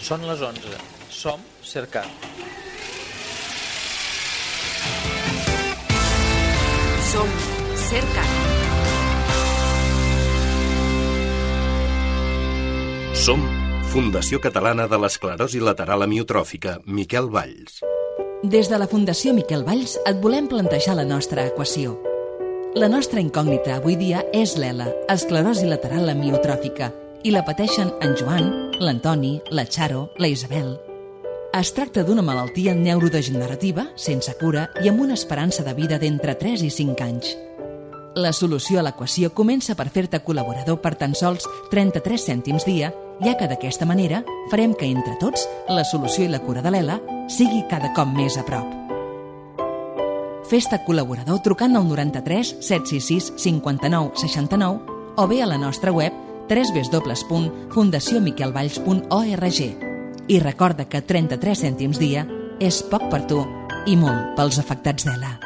Són les 11. Som Cercat. Som Cercat. Som Fundació Catalana de l'Esclerosi Lateral Amiotròfica, Miquel Valls. Des de la Fundació Miquel Valls et volem plantejar la nostra equació. La nostra incògnita avui dia és l'ELA, esclerosi lateral amiotròfica, i la pateixen en Joan, l'Antoni, la Charo, la Isabel. Es tracta d'una malaltia neurodegenerativa, sense cura i amb una esperança de vida d'entre 3 i 5 anys. La solució a l'equació comença per fer-te col·laborador per tan sols 33 cèntims dia, ja que d'aquesta manera farem que entre tots la solució i la cura de l'ELA sigui cada cop més a prop. Fes-te col·laborador trucant al 93 766 59 69 o bé a la nostra web www.fundaciomiquelvalls.org. I recorda que 33 cèntims dia és poc per tu i molt pels afectats d'ELA.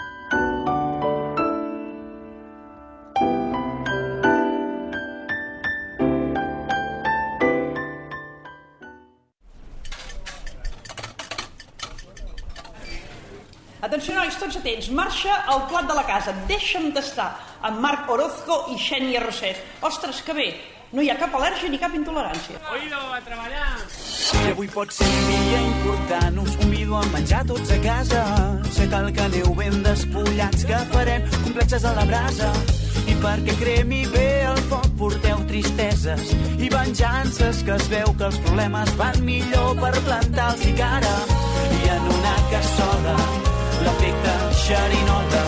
Atenció, nois, tots atents. Marxa al plat de la casa. Deixa'm tastar amb Marc Orozco i Xènia Roset. Ostres, que bé. No hi ha cap al·lèrgia ni cap intolerància. Oído, a treballar! I avui pot ser un dia important. Us convido a menjar tots a casa. Sé que el que aneu ben despullats, que farem complexes a la brasa. I perquè cremi bé el foc porteu tristeses i venjances, que es veu que els problemes van millor per plantar-los i cara. I en una cassola l'efecte xerinota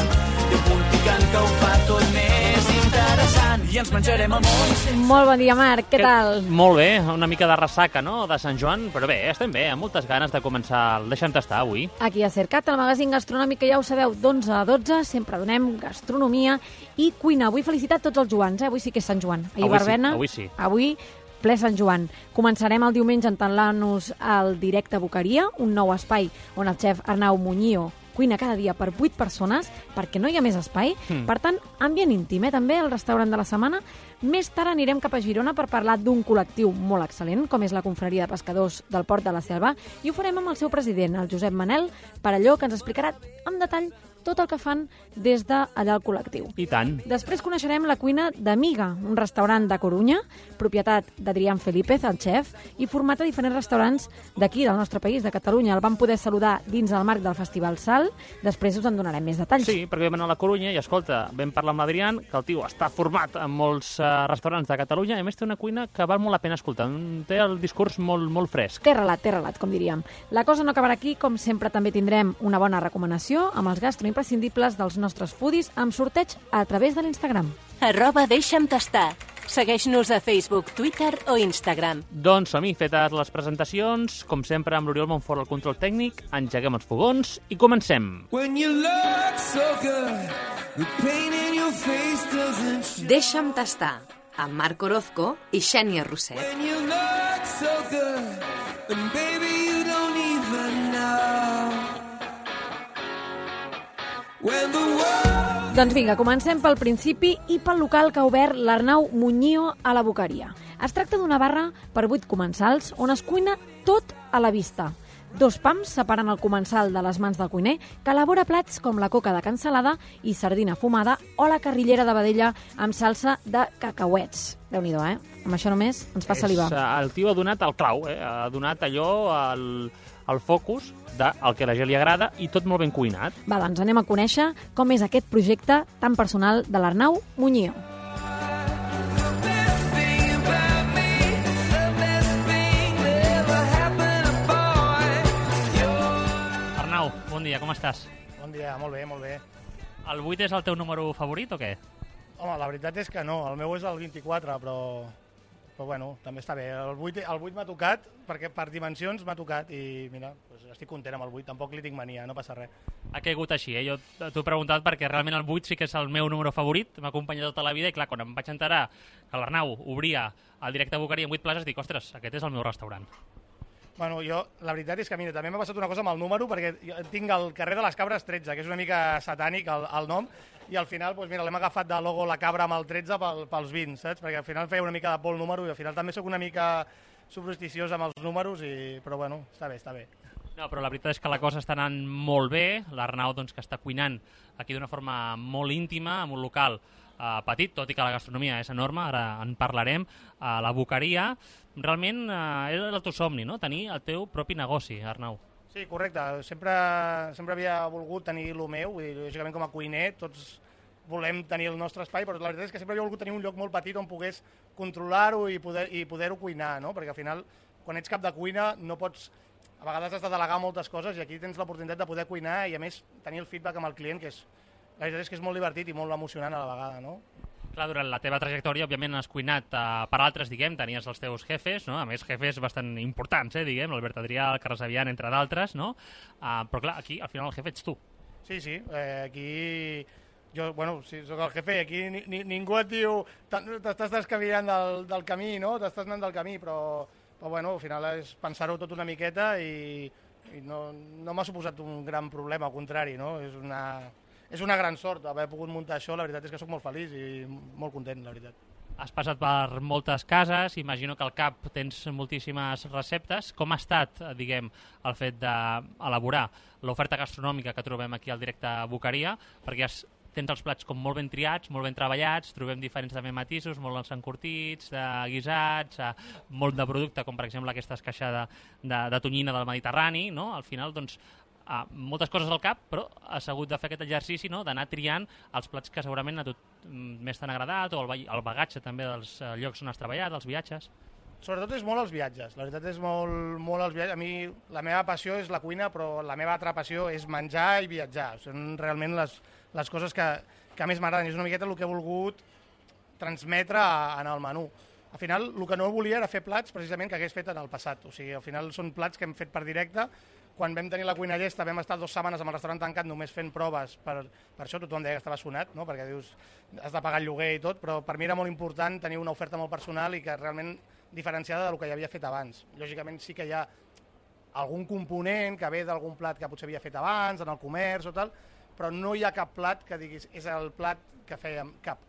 té un punt picant que ho fa tot més interessant i ens menjarem el món. Molt bon dia, Marc, què tal? Molt bé, una mica de ressaca, no?, de Sant Joan, però bé, estem bé, amb moltes ganes de començar el Deixa'm tastar avui. Aquí a Cercat, el magazín gastronòmic que ja ho sabeu, d'11 a 12, sempre donem gastronomia i cuina. Avui felicitat tots els Joans, avui sí que és Sant Joan. Ahir verbena, avui sí. Avui ple Sant Joan. Començarem el diumenge entant-nos al directe Boqueria, un nou espai on el xef Arnau Muñio cuina cada dia per 8 persones, perquè no hi ha més espai. Per tant, ambient íntim, també, el restaurant de la setmana. Més tard anirem cap a Girona per parlar d'un col·lectiu molt excel·lent, com és la Confraria de Pescadors del Port de la Selva, i ho farem amb el seu president, el Josep Manel Parelló, que ens explicarà en detall tot el que fan des d'allà al col·lectiu. I tant. Després coneixerem la cuina d'Amiga, un restaurant de Corunya, propietat d'Adrián Felípez, el xef, i format a diferents restaurants d'aquí, del nostre país, de Catalunya. El vam poder saludar dins el marc del Festival Sal. Després us en donarem més detalls. Sí, perquè vam anar a la Corunya i, escolta, vam parlar amb l'Adrián, que el tio està format en molts restaurants de Catalunya, i a més té una cuina que val molt la pena escoltar. Té el discurs molt fresc. Té relat, com diríem. La cosa no acabarà aquí, com sempre també tindrem una bona recomanació amb els gastroimprescindibles dels nostres foodies amb sorteig a través de l'Instagram. @deixa'm tastar. Segueix-nos a Facebook, Twitter o Instagram. Doncs som-hi, fetes les presentacions, com sempre amb l'Oriol Montfort al control tècnic, engeguem els fogons i comencem. Deixa'm tastar, amb Marc Orozco i Xènia Roset. Doncs vinga, comencem pel principi i pel local que ha obert l'Arnau Muñio a la Boqueria. Es tracta d'una barra per 8 comensals on es cuina tot a la vista. 2 pams separen el comensal de les mans del cuiner, que elabora plats com la coca de cansalada i sardina fumada o la carrillera de vedella amb salsa de cacauets. Déu-n'hi-do, Amb això només ens fa salivar. El tio ha donat el clau, ha donat allò el focus del que a la gent li agrada i tot molt ben cuinat. Va, doncs anem a conèixer com és aquest projecte tan personal de l'Arnau Muñio. Arnau, bon dia, com estàs? Bon dia, molt bé, molt bé. El 8 és el teu número favorit o què? Home, la veritat és que no, el meu és el 24, però bueno, també està bé. El 8 m'ha tocat, perquè per dimensions m'ha tocat i mira, doncs estic content amb el 8, tampoc li tinc mania, no passa res. Ha caigut així, Jo t'ho he preguntat perquè realment el 8 sí que és el meu número favorit, m'ha acompanyat tota la vida i clar, quan em vaig enterar que l'Arnau obria el directe Boqueria amb 8 places, dic, ostres, aquest és el meu restaurant. Bueno, la veritat és que mira, també m'ha passat una cosa amb el número, perquè jo tinc el carrer de les Cabres 13, que és una mica satànic el nom, i al final, doncs mira, l'hem agafat de logo la cabra amb el 13 pels 20, saps? Perquè al final feia una mica de por el número i al final també sóc una mica supersticiós amb els números, però bueno, està bé. No, però la veritat és que la cosa està anant molt bé. L'Arnau, doncs, que està cuinant aquí d'una forma molt íntima, en un local petit, tot i que la gastronomia és enorme, ara en parlarem, la boqueria. Realment era el teu somni, no?, tenir el teu propi negoci, Arnau. Sí, correcte. Sempre havia volgut tenir el meu, i lògicament com a cuiner tots volem tenir el nostre espai, però la veritat és que sempre havia volgut tenir un lloc molt petit on pogués controlar-ho i poder-ho cuinar, no? Perquè al final, quan ets cap de cuina, no pots... A vegades has de delegar moltes coses i aquí tens l'oportunitat de poder cuinar i, a més, tenir el feedback amb el client, que la veritat és que és molt divertit i molt emocionant a la vegada, no? Clar, durant la teva trajectòria, òbviament, has cuinat per altres, tenies els teus jefes, no? A més, jefes bastant importants, l'Albert Adrià, el Carles Avian, entre d'altres, no? Però clar, aquí, al final, el jefe ets tu. Sí, aquí... Jo, bueno, sí, soc el jefe, aquí ningú et diu t'estàs descavilant del camí, no? T'estàs anant del camí, però bueno, al final és pensar-ho tot una miqueta i no m'ha suposat un gran problema, al contrari, no? És una gran sort haver pogut muntar això, la veritat és que sóc molt feliç i molt content, la veritat. Has passat per moltes cases, imagino que al cap tens moltíssimes receptes. Com ha estat, diguem, el fet d'elaborar l'oferta gastronòmica que trobem aquí al directe Boqueria? Perquè tens els plats com molt ben triats, molt ben treballats, trobem diferents també matisos, molt encurtits, de guisats, molt de producte, com per exemple aquesta esqueixada de tonyina del Mediterrani, no? Al final, doncs, moltes coses al cap, però has hagut de fer aquest exercici, no?, d'anar triant els plats que segurament a tu més t'han agradat, o el bagatge també dels llocs on has treballat, dels viatges. Sobretot és molt els viatges, la veritat és molt els viatges. A mi la meva passió és la cuina, però la meva altra passió és menjar i viatjar. Són realment les coses que més m'agraden. És una miqueta el que he volgut transmetre en el menú. Al final, el que no volia era fer plats precisament que hagués fet en el passat. O sigui, al final són plats que hem fet per directe. Quan vam tenir la cuina llesta vam estar 2 setmanes amb el restaurant tancat només fent proves, per això tothom deia que estava sonat, no? Perquè dius, has de pagar el lloguer i tot, però per mi era molt important tenir una oferta molt personal i que realment diferenciada del que ja havia fet abans. Lògicament sí que hi ha algun component que ve d'algun plat que potser havia fet abans, en el comerç o tal, però no hi ha cap plat que diguis és el plat que fèiem, cap.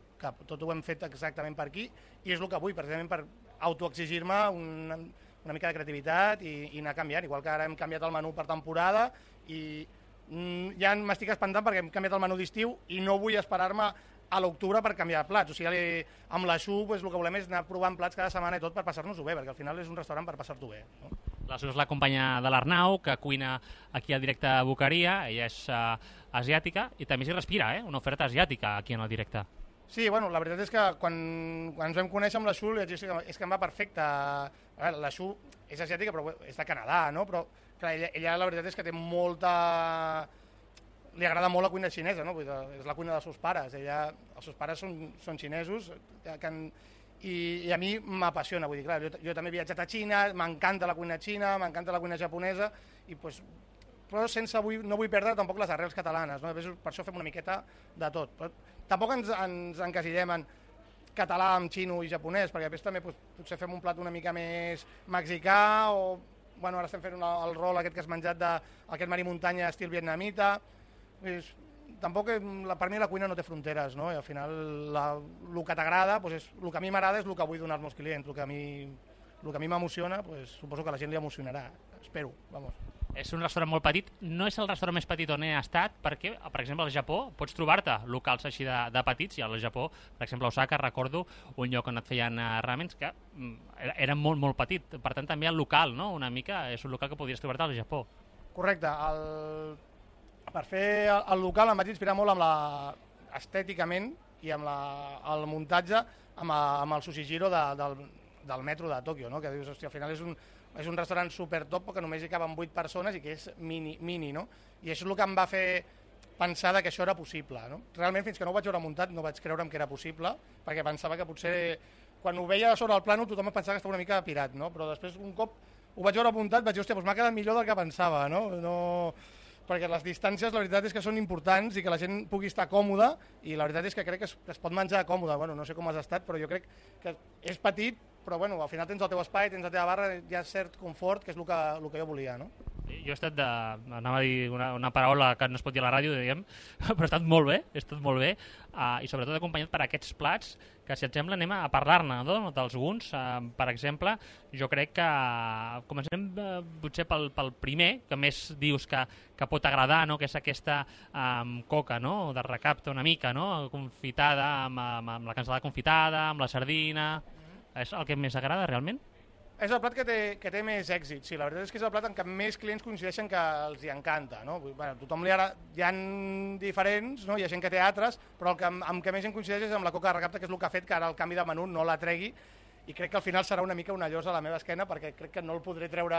Tot ho hem fet exactament per aquí i és el que vull, precisament per autoexigir-me una mica de creativitat i anar canviant, igual que ara hem canviat el menú per temporada i ja m'estic espantant perquè hem canviat el menú d'estiu i no vull esperar-me a l'octubre per canviar plats. O sigui, amb l'Aixú el que volem és anar provant plats cada setmana i tot per passar-nos-ho bé, perquè al final és un restaurant per passar-t'ho bé. No? L'Aixú és la companya de l'Arnau, que cuina aquí al directe Boqueria, ella és asiàtica i també s'hi respira, una oferta asiàtica aquí en el directe. Sí, bueno, la veritat és que quan ens vam conèixer amb l'Aixú és que em va perfecte. L'Aixú és asiàtica però és de Canadà, no? Però clar, ella la veritat és que té molta... Li agrada molt la cuina xinesa, no? És la cuina dels seus pares. Els seus pares són xinesos i a mi m'apassiona. Vull dir, clar, jo també he viatjat a Xina, m'encanta la cuina xina, m'encanta la cuina japonesa, però no vull perdre tampoc les arrels catalanes. No? Per això fem una miqueta de tot. Però tampoc ens encasillem en català amb xino i japonès, perquè després també potser fem un plat una mica més mexicà o ara estem fent el rol aquest que has menjat d'aquest mar i muntanya estil vietnamita. Tampoc per mi la cuina no té fronteres, no? I al final el que t'agrada, el que a mi m'agrada és el que vull donar als meus clients. El que a mi m'emociona, suposo que a la gent li emocionarà. Espero, vamos. És un restaurant molt petit, no és el restaurant més petit on he estat, perquè, per exemple, al Japó pots trobar-te locals així de petits, i al Japó, per exemple, a Osaka, recordo un lloc on et feien ramens que era molt, molt petit. Per tant, també el local, no? Una mica és un local que podries trobar-te al Japó. Correcte. Per fer el local em vaig inspirar molt estèticament i amb el muntatge amb el Sushijiro del metro de Tòquio, no? Que dius, hòstia, al final és un restaurant super top que només hi caben 8 persones i que és mini, no? I això és el que em va fer pensar que això era possible, no? Realment, fins que no ho vaig veure muntat, no vaig creure'm que era possible, perquè pensava que potser, quan ho veia sobre el plànol, tothom pensava que estava una mica pirat, no? Però després, un cop ho vaig veure muntat, vaig dir, hòstia, m'ha quedat millor del que pensava, no? Perquè les distàncies, la veritat és que són importants i que la gent pugui estar còmoda, i la veritat és que crec que es pot menjar còmode. Bueno, no sé com has estat, però jo crec que és petit, però al final tens el teu espai, tens la teva barra, hi ha cert confort, que és el que jo volia, no? Sí, Jo he estat anava a dir una paraula que no es pot dir a la ràdio, diguem, però ha estat molt bé, i sobretot acompanyat per aquests plats que, si et sembla, anem a parlar-ne, no? Dels guns. Per exemple, jo crec que comencem potser pel primer, que més dius que pot agradar, no? Que és aquesta coca, no? De recapte una mica, no? Confitada, amb la cansalada confitada, amb la sardina... És el que més agrada, realment? És el plat que té més èxit, sí. La veritat és que és el plat en què més clients coincideixen que els hi encanta, no? Bueno, tothom hi ha diferents, no? Hi ha gent que té altres, però amb què més gent coincideix és amb la coca de recapte, que és el que ha fet que ara el canvi de menú no la tregui, i crec que al final serà una mica una llosa a la meva esquena, perquè crec que no el podré treure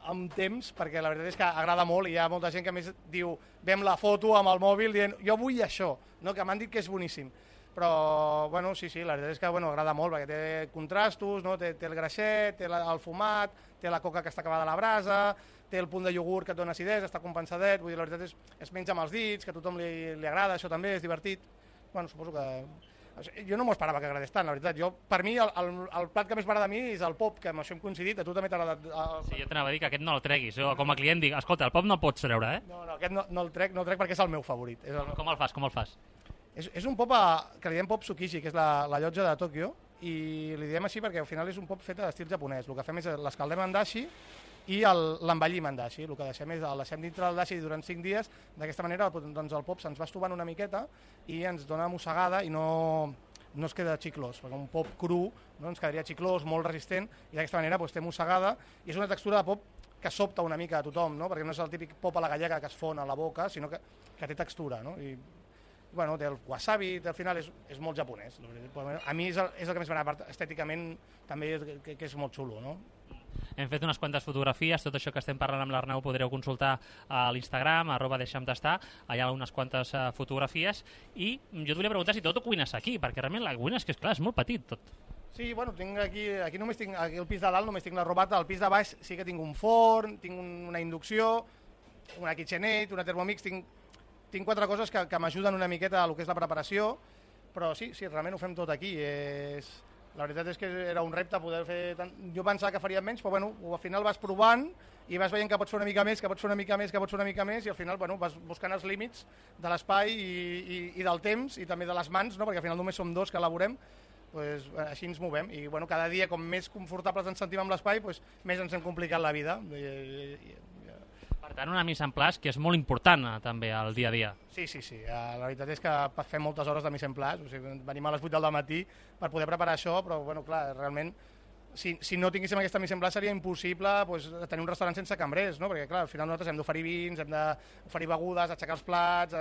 amb temps, perquè la veritat és que agrada molt, i hi ha molta gent que més diu, vem la foto amb el mòbil dient, jo vull això, no? Que m'han dit que és boníssim. Però, bueno, sí, la veritat és que agrada molt, perquè té contrastos, no? Té el greixet, té el fumat, té la coca que està acabada a la brasa, té el punt de iogurt que et dona acidesa, està compensadet, vull dir, la veritat es menja amb els dits, que a tothom li agrada, això també és divertit. Bueno, suposo que... Jo no m'ho esperava que agradés tant, la veritat. Per mi, el plat que més m'agrada a mi és el pop, que amb això hem coincidit, a tu també t'ha agradat... Sí, jo t'anava a dir que aquest no el treguis. Jo, com a client, dic, escolta, el pop no el pots treure, eh? No, aquest no el trec perquè és el meu favorit. Com el fas? És un pop que li diem pop tsukiji, que és la llotja de Tòquio, i li diem així perquè al final és un pop fet d'estil japonès. El que fem és l'escaldem en dashi i l'envellim en dashi. El que deixem és el deixem dintre del dashi durant 5 dies. D'aquesta manera doncs el pop se'ns va estovant una miqueta i ens dona mossegada i no es queda xiclós, perquè un pop cru no, ens quedaria xiclós, molt resistent, i d'aquesta manera doncs, té mossegada, i és una textura de pop que sobta una mica a tothom, no? Perquè no és el típic pop a la gallega que es fon a la boca, sinó que té textura, no? I, bueno, té el wasabi, al final és molt japonès. A mi és el que més m'agrada, estèticament també que és molt xulo, no? Hem fet unes quantes fotografies, tot això que estem parlant amb l'Arnau podreu consultar a l'Instagram, @deixa'm-tastar, allà ha unes quantes fotografies, i jo et volia preguntar si tot ho cuines aquí, perquè realment la cuina és que, esclar, és molt petit tot. Sí, bueno, tinc aquí només tinc, aquí al pis de dalt només tinc la robata, al pis de baix sí que tinc un forn, tinc una inducció, una KitchenAid, una Thermomix, tinc 4 coses que m'ajuden una miqueta a lo que és la preparació, però sí, realment ho fem tot aquí. La veritat és que era un repte poder fer tant. Jo pensava que faria menys, però bueno, al final vas provant i vas veient que pots fer una mica més, que pots fer una mica més, i al final vas buscant els límits de l'espai i del temps, i també de les mans, no? Perquè al final només som 2 que elaborem, pues, així ens movem, i bueno, cada dia com més confortables ens sentim amb l'espai, pues, més ens hem complicat la vida. Per tant, una mise en place que és molt important també al dia a dia. Sí. La veritat és que fem moltes hores de mise en place, o sigui, venim a les 8 del matí per poder preparar això, però bueno, clar, realment si no tinguéssim aquesta mise en place seria impossible pues, tenir un restaurant sense cambrers, no? Perquè clar, al final nosaltres hem d'oferir vins, hem d'oferir begudes, aixecar els plats,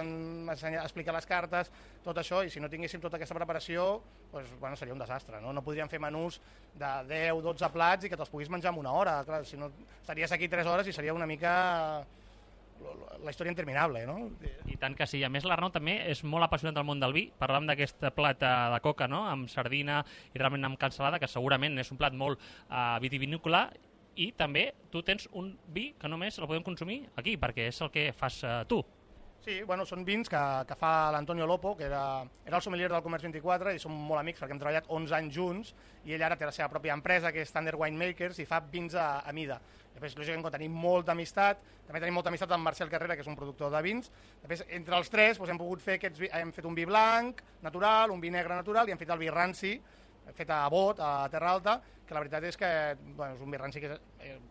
explicar les cartes, tot això, i si no tinguéssim tota aquesta preparació pues, bueno, seria un desastre, no? No podríem fer menús de 10-12 plats i que te'ls puguis menjar en una hora, clar, si no estaries aquí 3 hores i seria una mica la història interminable, no? I tant que sí. A més, l'Arnau també és molt apassionat del món del vi. Parlàvem d'aquest plat de coca, no?, amb sardina i realment amb cansalada, que segurament és un plat molt vitivinícola, i també tu tens un vi que només el podem consumir aquí, perquè és el que fas tu. Sí, bueno, són vins que fa l'Antonio Lopo, que era el sommelier del Comerç 24, i som molt amics perquè hem treballat 11 anys junts, i ell ara té la seva pròpia empresa, que és Thunder Winemakers, i fa vins a mida. Després, lògicament, tenim molta amistat, també tenim molta amistat amb Marcel Carrera, que és un productor de vins. Després, entre els tres, hem pogut fer hem fet un vi blanc natural, un vi negre natural, i hem fet el vi ranci, fet a Bot, a Terra Alta, que la veritat és que bueno, és un vi ranci que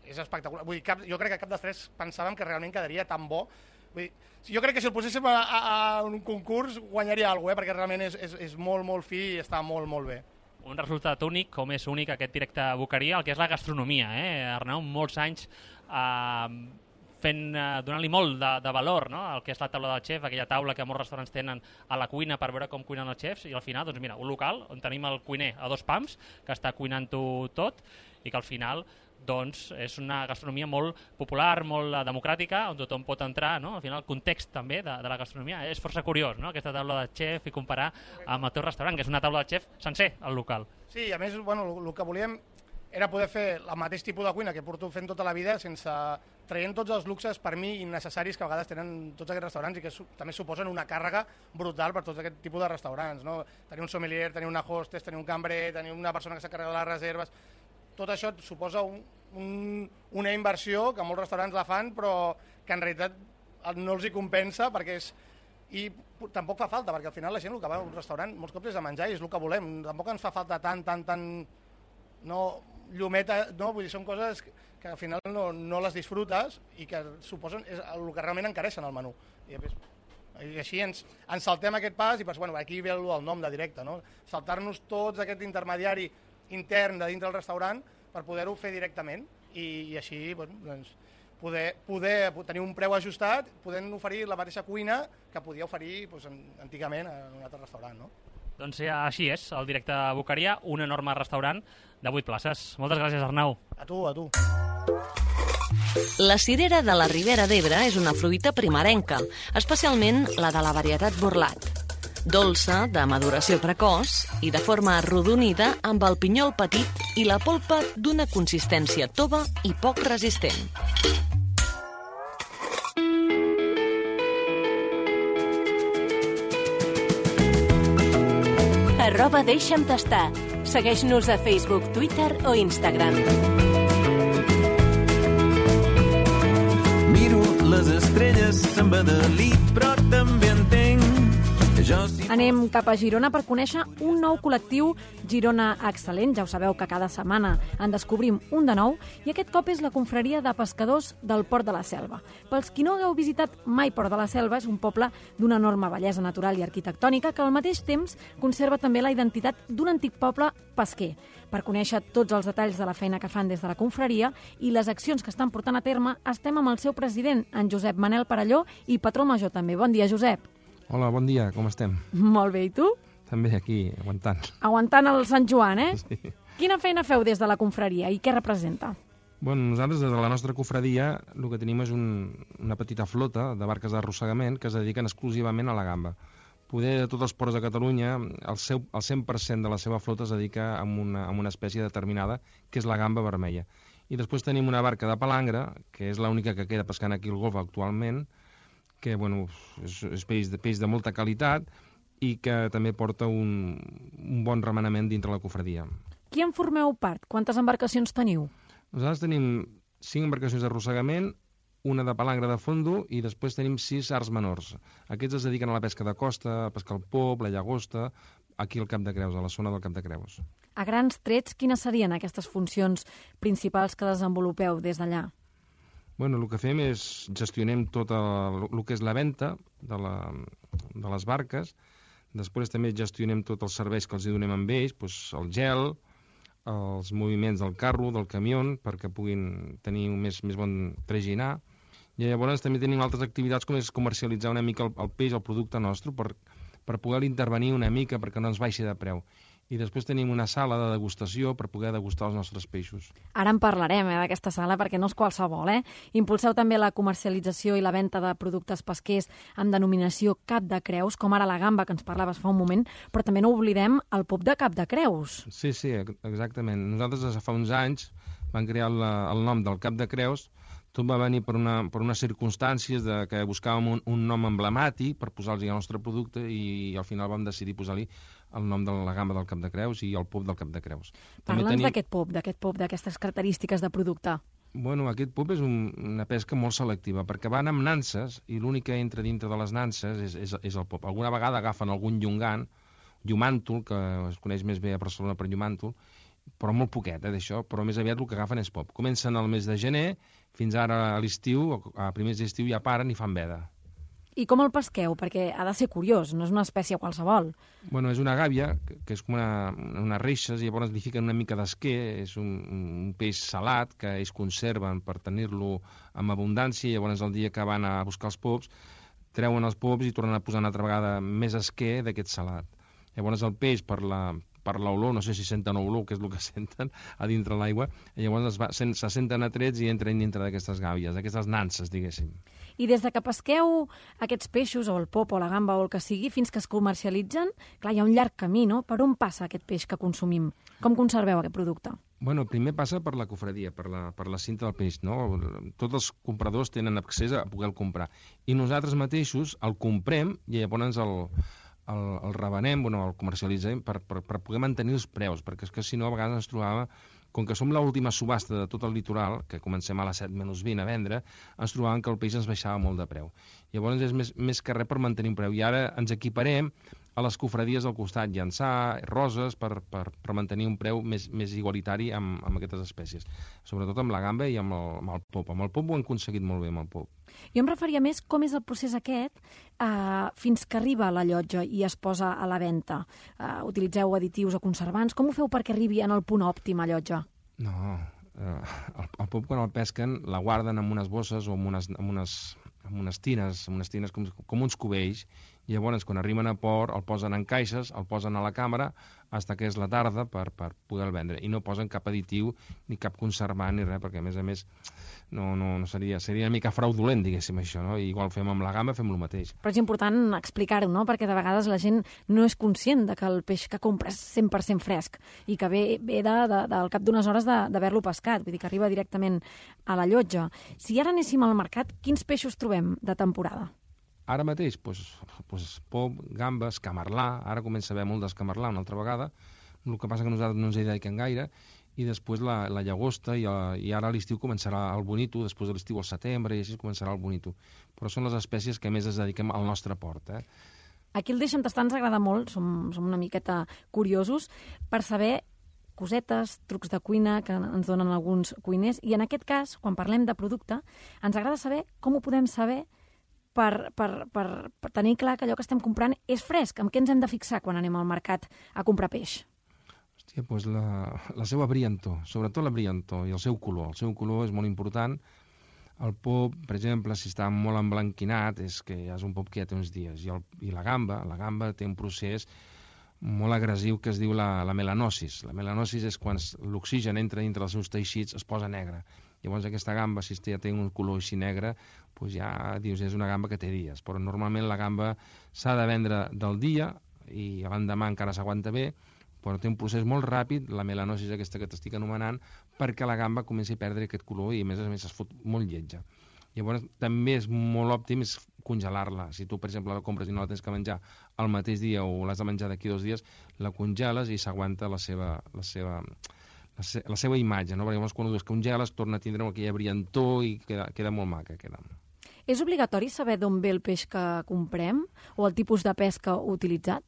és espectacular. Vull dir, jo crec que cap dels tres pensàvem que realment quedaria tan bo. Vull dir, jo crec que si el poséssim a un concurs guanyaria alguna cosa, perquè realment és molt, molt fi i està molt, molt bé. Un resultat únic, com és únic aquest directe a Boqueria, el que és la gastronomia, Arnau, molts anys donant-li molt de valor, no?, el que és la taula del xef, aquella taula que molts restaurants tenen a la cuina per veure com cuinen els xefs, i al final, doncs mira, un local on tenim el cuiner a 2 pams, que està cuinant-ho tot, i que al final doncs és una gastronomia molt popular, molt democràtica, on tothom pot entrar, no? Al final el context també de la gastronomia és força curiós, no?, aquesta taula de xef, i comparar amb el teu restaurant, que és una taula de xef sencer, al local. Sí, a més, bueno, el que volíem era poder fer el mateix tipus de cuina que porto fent tota la vida, sense traient tots els luxes per mi innecessaris que a vegades tenen tots aquests restaurants i que també suposen una càrrega brutal per tots aquest tipus de restaurants, no? Tenir un sommelier, tenir una hostess, tenir un cambrer, tenir una persona que s'encarrega de les reserves. tot això suposa una inversió que molts restaurants la fan, però que en realitat no els hi compensa perquè és... I tampoc fa falta, perquè al final la gent el que va a un restaurant molts cops és a menjar i és el que volem. Tampoc ens fa falta tant... No, llumeta... No, vull dir, són coses que al final no les disfrutes i que suposen el que realment encareixen el menú. I així ens saltem aquest pas i bueno, aquí ve el nom de directe, no? Saltar-nos tots aquest intermediari intern de dintre del restaurant per poder-ho fer directament i així doncs, poder tenir un preu ajustat, podent oferir la mateixa cuina que podia oferir antigament en un altre restaurant, no? Doncs així és, el directe Boqueria, un enorme restaurant de 8 places. Moltes gràcies, Arnau. A tu. La cirera de la Ribera d'Ebre és una fruita primerenca, especialment la de la varietat Borlat. Dolça, de maduració precoç i de forma arrodonida amb el pinyol petit i la polpa d'una consistència tova i poc resistent. @deixa'm tastar. Segueix-nos a Facebook, Twitter o Instagram. Miro les estrelles, se'n va de lit, però també entenc. Anem cap a Girona per conèixer un nou col·lectiu, Girona Excel·lent. Ja ho sabeu que cada setmana en descobrim un de nou i aquest cop és la confraria de pescadors del Port de la Selva. Pels qui no hagueu visitat mai Port de la Selva, és un poble d'una enorme bellesa natural i arquitectònica que al mateix temps conserva també la identitat d'un antic poble pesquer. Per conèixer tots els detalls de la feina que fan des de la confraria i les accions que estan portant a terme, estem amb el seu president, en Josep Manel Parelló, i patró major també. Bon dia, Josep. Hola, bon dia, com estem? Molt bé, i tu? També aquí, aguantant. Aguantant el Sant Joan, eh? Sí. Quina feina feu des de la confraria i què representa? Bueno, nosaltres, des de la nostra confraria, el que tenim és una petita flota de barques d'arrossegament que es dediquen exclusivament a la gamba. Poder de tots els ports de Catalunya, el 100% de la seva flota es dedica a una espècie determinada, que és la gamba vermella. I després tenim una barca de palangre, que és l'única que queda pescant aquí al Golf actualment, que bueno, és peix de molta qualitat i que també porta un bon remenament dintre la confraria. Qui en formeu part? Quantes embarcacions teniu? Nosaltres tenim 5 embarcacions d'arrossegament, una de palangre de fondo i després tenim 6 arts menors. Aquests es dediquen a la pesca de costa, a pescar el pop, la llagosta, aquí al Cap de Creus, a la zona del Cap de Creus. A grans trets, quines serien aquestes funcions principals que desenvolupeu des d'allà? Bueno, el que fem és gestionem tot el que és la venda de les barques, després també gestionem tots els serveis que els donem amb ells, doncs el gel, els moviments del carro, del camió, perquè puguin tenir un més bon traginar, i llavors també tenim altres activitats com és comercialitzar una mica el peix, el producte nostre, per poder intervenir una mica perquè no ens baixi de preu. I després tenim una sala de degustació per poder degustar els nostres peixos. Ara en parlarem, d'aquesta sala, perquè no és qualsevol, eh? Impulseu també la comercialització i la venda de productes pesquers amb denominació Cap de Creus, com ara la gamba, que ens parlaves fa un moment, però també no oblidem el pop de Cap de Creus. Sí, exactament. Nosaltres fa uns anys vam crear el nom del Cap de Creus. Tot va venir per unes circumstàncies que buscàvem un nom emblemàtic per posar-li el nostre producte i al final vam decidir posar-li el nom de la gamba del Cap de Creus i el pop del Cap de Creus. Parla'ns d'aquest pop, d'aquestes característiques de producte. Bueno, aquest pop és una pesca molt selectiva, perquè van amb nanses i l'únic que entra dintre de les nanses és el pop. Alguna vegada agafen algun llumàntol, que es coneix més bé a Barcelona per llumàntol, però molt poquet d'això, però més aviat el que agafen és pop. Comencen al mes de gener, fins ara a l'estiu, a primers d'estiu ja paren i fan veda. I com el pesqueu? Perquè ha de ser curiós, no és una espècie qualsevol. Bueno, és una gàbia, que és com unes reixes, i llavors li fiquen una mica d'esquer, és un peix salat que ells conserven per tenir-lo amb abundància, i llavors el dia que van a buscar els pops, treuen els pops i tornen a posar una altra vegada més esquer d'aquest salat. Llavors el peix, per l'olor, no sé si senten olor, que és el que senten a dintre l'aigua, i llavors se senten atrets i entren dintre d'aquestes gàbies, d'aquestes nanses, diguéssim. I des de que pesqueu aquests peixos, o el pop, o la gamba, o el que sigui, fins que es comercialitzen, clar, hi ha un llarg camí, no? Per on passa aquest peix que consumim? Com conserveu aquest producte? Bueno, primer passa per la cofradia, per la cinta del peix, no? Tots els compradors tenen accés a poder-lo comprar. I nosaltres mateixos el comprem i llavors el revenem, el comercialitzem per poder mantenir els preus, perquè és que si no a vegades ens trobava Com que som l'última subhasta de tot el litoral, que comencem a les 7:20 a vendre, ens trobàvem que el peix ens baixava molt de preu. Llavors és més que res per mantenir un preu. I ara ens equiparem a les cofradies del costat, Llançà, Roses, per mantenir un preu més igualitari amb aquestes espècies. Sobretot amb la gamba i amb el pop. Amb el pop ho han aconseguit molt bé, amb el pop. Jo em referia més com és el procés aquest fins que arriba a la llotja i es posa a la venda. Utilitzeu additius o conservants? Com ho feu perquè arribi en el punt òptim a llotja? No, el pop quan el pesquen la guarden en unes bosses o en unes tines com uns cubells, i llavors quan arriben a port el posen en caixes, el posen a la càmera fins que és la tarda per poder-el vendre, i no posen cap additiu ni cap conservant ni res, perquè a més no seria una mica fraudulent, diguéssim, això, no? Igual fem amb la gamba, fem el mateix. Però és important explicar-ho, no? Perquè de vegades la gent no és conscient de que el peix que compra és 100% fresc i que ve del cap d'unes hores d'haver-lo pescat, vull dir que arriba directament a la llotja. Si ara anéssim al mercat, quins peixos trobem de temporada? Ara mateix, pop, gambes, camarlà, ara comença a haver molt d'escamarlà una altra vegada, el que passa que nosaltres no ens hi dediquem gaire, i després la llagosta, i ara a l'estiu començarà el bonito, després de l'estiu al setembre, i així començarà el bonito. Però són les espècies que més es dediquem al nostre port. Aquí el Deixa'm tastar ens agrada molt, som una miqueta curiosos, per saber cosetes, trucs de cuina que ens donen alguns cuiners, i en aquest cas, quan parlem de producte, ens agrada saber com ho podem saber per tenir clar que allò que estem comprant és fresc. En què ens hem de fixar quan anem al mercat a comprar peix? Hòstia, doncs la seva brillantor, sobretot la brillantor i el seu color. El seu color és molt important. El pop, per exemple, si està molt emblanquinat, és que ja és un pop que ja té uns dies. I la gamba té un procés molt agressiu que es diu la melanosis. La melanosis és quan l'oxigen entra dintre dels seus teixits, es posa negre. Llavors aquesta gamba, si ja té un color així negre, doncs ja dius, és una gamba que té dies. Però normalment la gamba s'ha de vendre del dia i l'endemà encara s'aguanta bé, però té un procés molt ràpid, la melanosis aquesta que t'estic anomenant, perquè la gamba comenci a perdre aquest color i a més es fot molt lletja. Llavors també és molt òptim congelar-la. Si tu, per exemple, la compres i no la tens que menjar el mateix dia o l'has de menjar d'aquí 2 dies, la congeles i s'aguanta la seva imatge, no? Perquè llavors quan ho descongeles torna a tindre aquella brillantor i queda molt maca. És obligatori saber d'on ve el peix que comprem o el tipus de pesca utilitzat?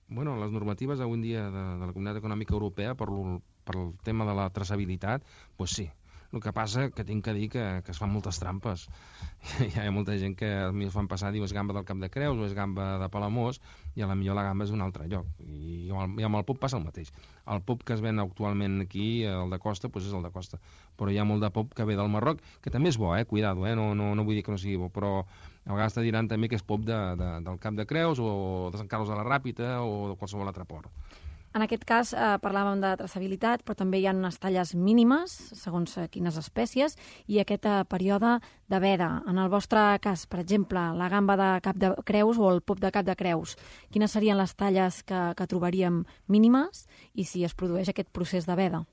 Bueno, les normatives avui en dia de la Comunitat Econòmica Europea per el tema de la traçabilitat, doncs sí. El que passa que tinc que dir que es fan moltes trampes. Hi ha molta gent que a mi es fan passar, diu, és gamba del Cap de Creus o és gamba de Palamós, i potser la gamba és d'un altre lloc. I amb el pop passa el mateix. El pop que es ven actualment aquí, el de costa, doncs és el de costa. Però hi ha molt de pop que ve del Marroc, que també és bo, cuidado, no vull dir que no sigui bo, però a vegades te diran també que és pop del Cap de Creus o de Sant Carlos de la Ràpita o de qualsevol altre port. En aquest cas parlàvem de traçabilitat, però també hi ha unes talles mínimes, segons quines espècies, i aquest període de veda. En el vostre cas, per exemple, la gamba de Cap de Creus o el pop de Cap de Creus, quines serien les talles que trobaríem mínimes i si es produeix aquest procés de veda?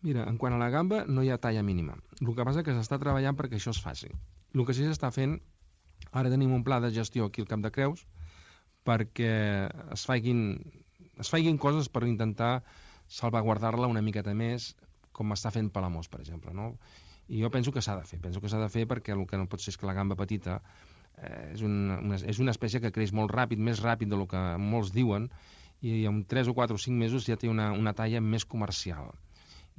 Mira, en quant a la gamba, no hi ha talla mínima. El que passa és que s'està treballant perquè això es faci. El que sí s'està fent, ara tenim un pla de gestió aquí al Cap de Creus perquè es facin coses per intentar salvaguardar-la una miqueta més, com està fent Palamós, per exemple, no? I jo penso que s'ha de fer, perquè el que no pot ser és que la gamba petita és una espècie que creix molt ràpid, més ràpid del que molts diuen, i en 3 o 4 o 5 mesos ja té una talla més comercial.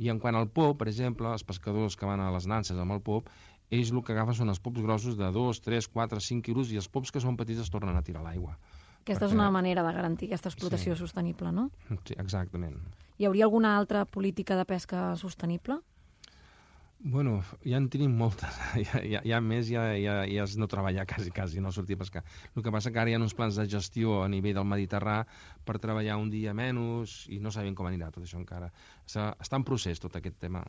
I en quant al pop, per exemple, els pescadors que van a les nanses amb el pop, ells el que agafen són els pops grossos de 2, 3, 4, 5 quilos, i els pops que són petits es tornen a tirar a l'aigua. Aquesta és una manera de garantir aquesta explotació sostenible, no? Sí, exactament. Hi hauria alguna altra política de pesca sostenible? Bueno, ja en tenim moltes. Ja més, ja és no treballar quasi, no sortir a pescar. El que passa que ara hi ha uns plans de gestió a nivell del Mediterrà per treballar un dia menys i no sabem com anirà tot això encara. Està en procés tot aquest tema.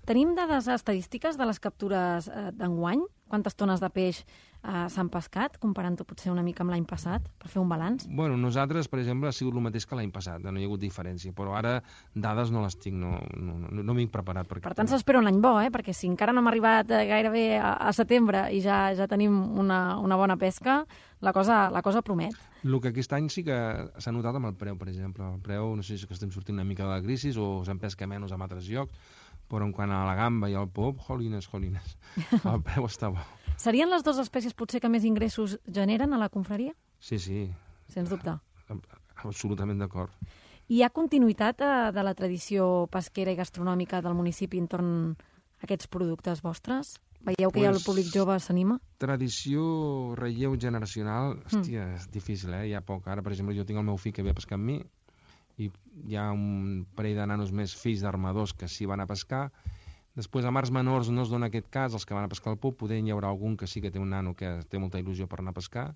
Tenim dades estadístiques de les captures d'enguany? Quantes tones de peix s'han pescat, comparant-ho potser una mica amb l'any passat, per fer un balanç? Bueno, nosaltres, per exemple, ha sigut el mateix que l'any passat, no hi ha hagut diferència, però ara dades no les tinc, no m'he preparat. Per tant, s'espera un any bo, perquè si encara no hem arribat gairebé a setembre i ja tenim una bona pesca, la cosa promet. El que aquest any sí que s'ha notat amb el preu, per exemple. El preu, no sé si és que estem sortint una mica de la crisi o se'n pesca menys en altres llocs, però en quant a la gamba i al pop, jolines, el preu està bo. Serien les dues espècies potser que més ingressos generen a la confraria? Sí. Sens dubte. Absolutament d'acord. Hi ha continuïtat de la tradició pesquera i gastronòmica del municipi entorn a aquests productes vostres? Veieu que el públic jove s'anima? Tradició, relleu generacional, hòstia, és difícil, Hi ha poc. Ara, per exemple, jo tinc el meu fill que ve a pescar amb mi i hi ha un parell de nanos més fills d'armadors que sí van a pescar. Després, a mars menors no es dona aquest cas, els que van a pescar al pub, poder hi haurà algun que sí que té un nano que té molta il·lusió per anar a pescar.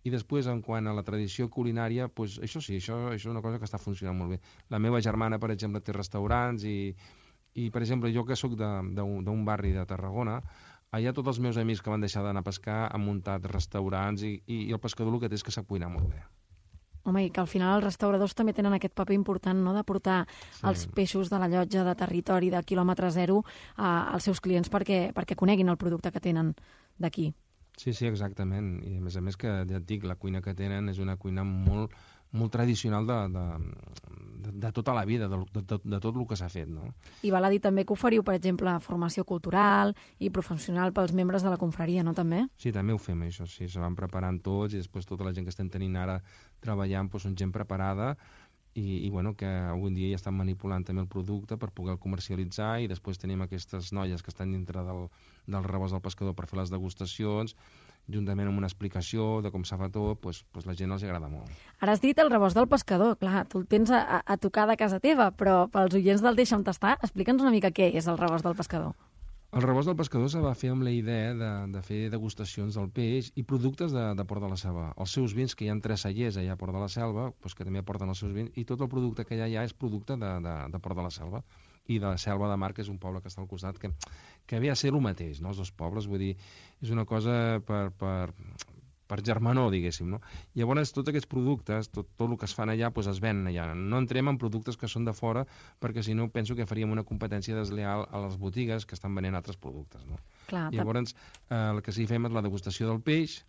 I després, en quant a la tradició culinària, doncs això sí, això és una cosa que està funcionant molt bé. La meva germana, per exemple, té restaurants i per exemple, jo que sóc d'un barri de Tarragona, allà tots els meus amics que van deixar d'anar a pescar han muntat restaurants i el pescador el que té és que sap cuinar molt bé. Home, i que al final els restauradors també tenen aquest paper important, no?, de portar els peixos de la llotja de territori de quilòmetre zero als seus clients perquè coneguin el producte que tenen d'aquí. Sí, exactament. I a més que, ja et dic, la cuina que tenen és una cuina molt tradicional de tota la vida, de tot el que s'ha fet, no? I val a dir també que oferiu, per exemple, formació cultural i professional pels membres de la confraria, no, també? Sí, també ho fem, això, sí. Se van preparant tots i després tota la gent que estem tenint ara treballant doncs, són gent preparada i bueno, que avui en dia ja estan manipulant també el producte per poder el comercialitzar i després tenim aquestes noies que estan dintre del rebost del pescador per fer les degustacions, juntament amb una explicació de com s'ha fet tot, doncs la gent els agrada molt. Ara has dit el rebost del pescador, clar, tu el tens a tocar de casa teva, però pels oients del Deixa'm Tastar, explica'ns una mica què és el rebost del pescador. El rebost del pescador se va fer amb la idea de fer degustacions del peix i productes de Port de la Selva. Els seus vins, que hi ha 3 cellers allà a Port de la Selva, doncs que també aporten els seus vins, i tot el producte que hi ha és producte de Port de la Selva i de la Selva de Mar, que és un poble que està al costat, que ve a ser el mateix, no?, els dos pobles, vull dir, és una cosa per germanor, diguéssim, no? Llavors, tots aquests productes, tot el que es fan allà, doncs es venen allà. No entrem en productes que són de fora, perquè si no penso que faríem una competència desleal a les botigues que estan venent altres productes, no? Clar, llavors, el que sí fem és la degustació del peix,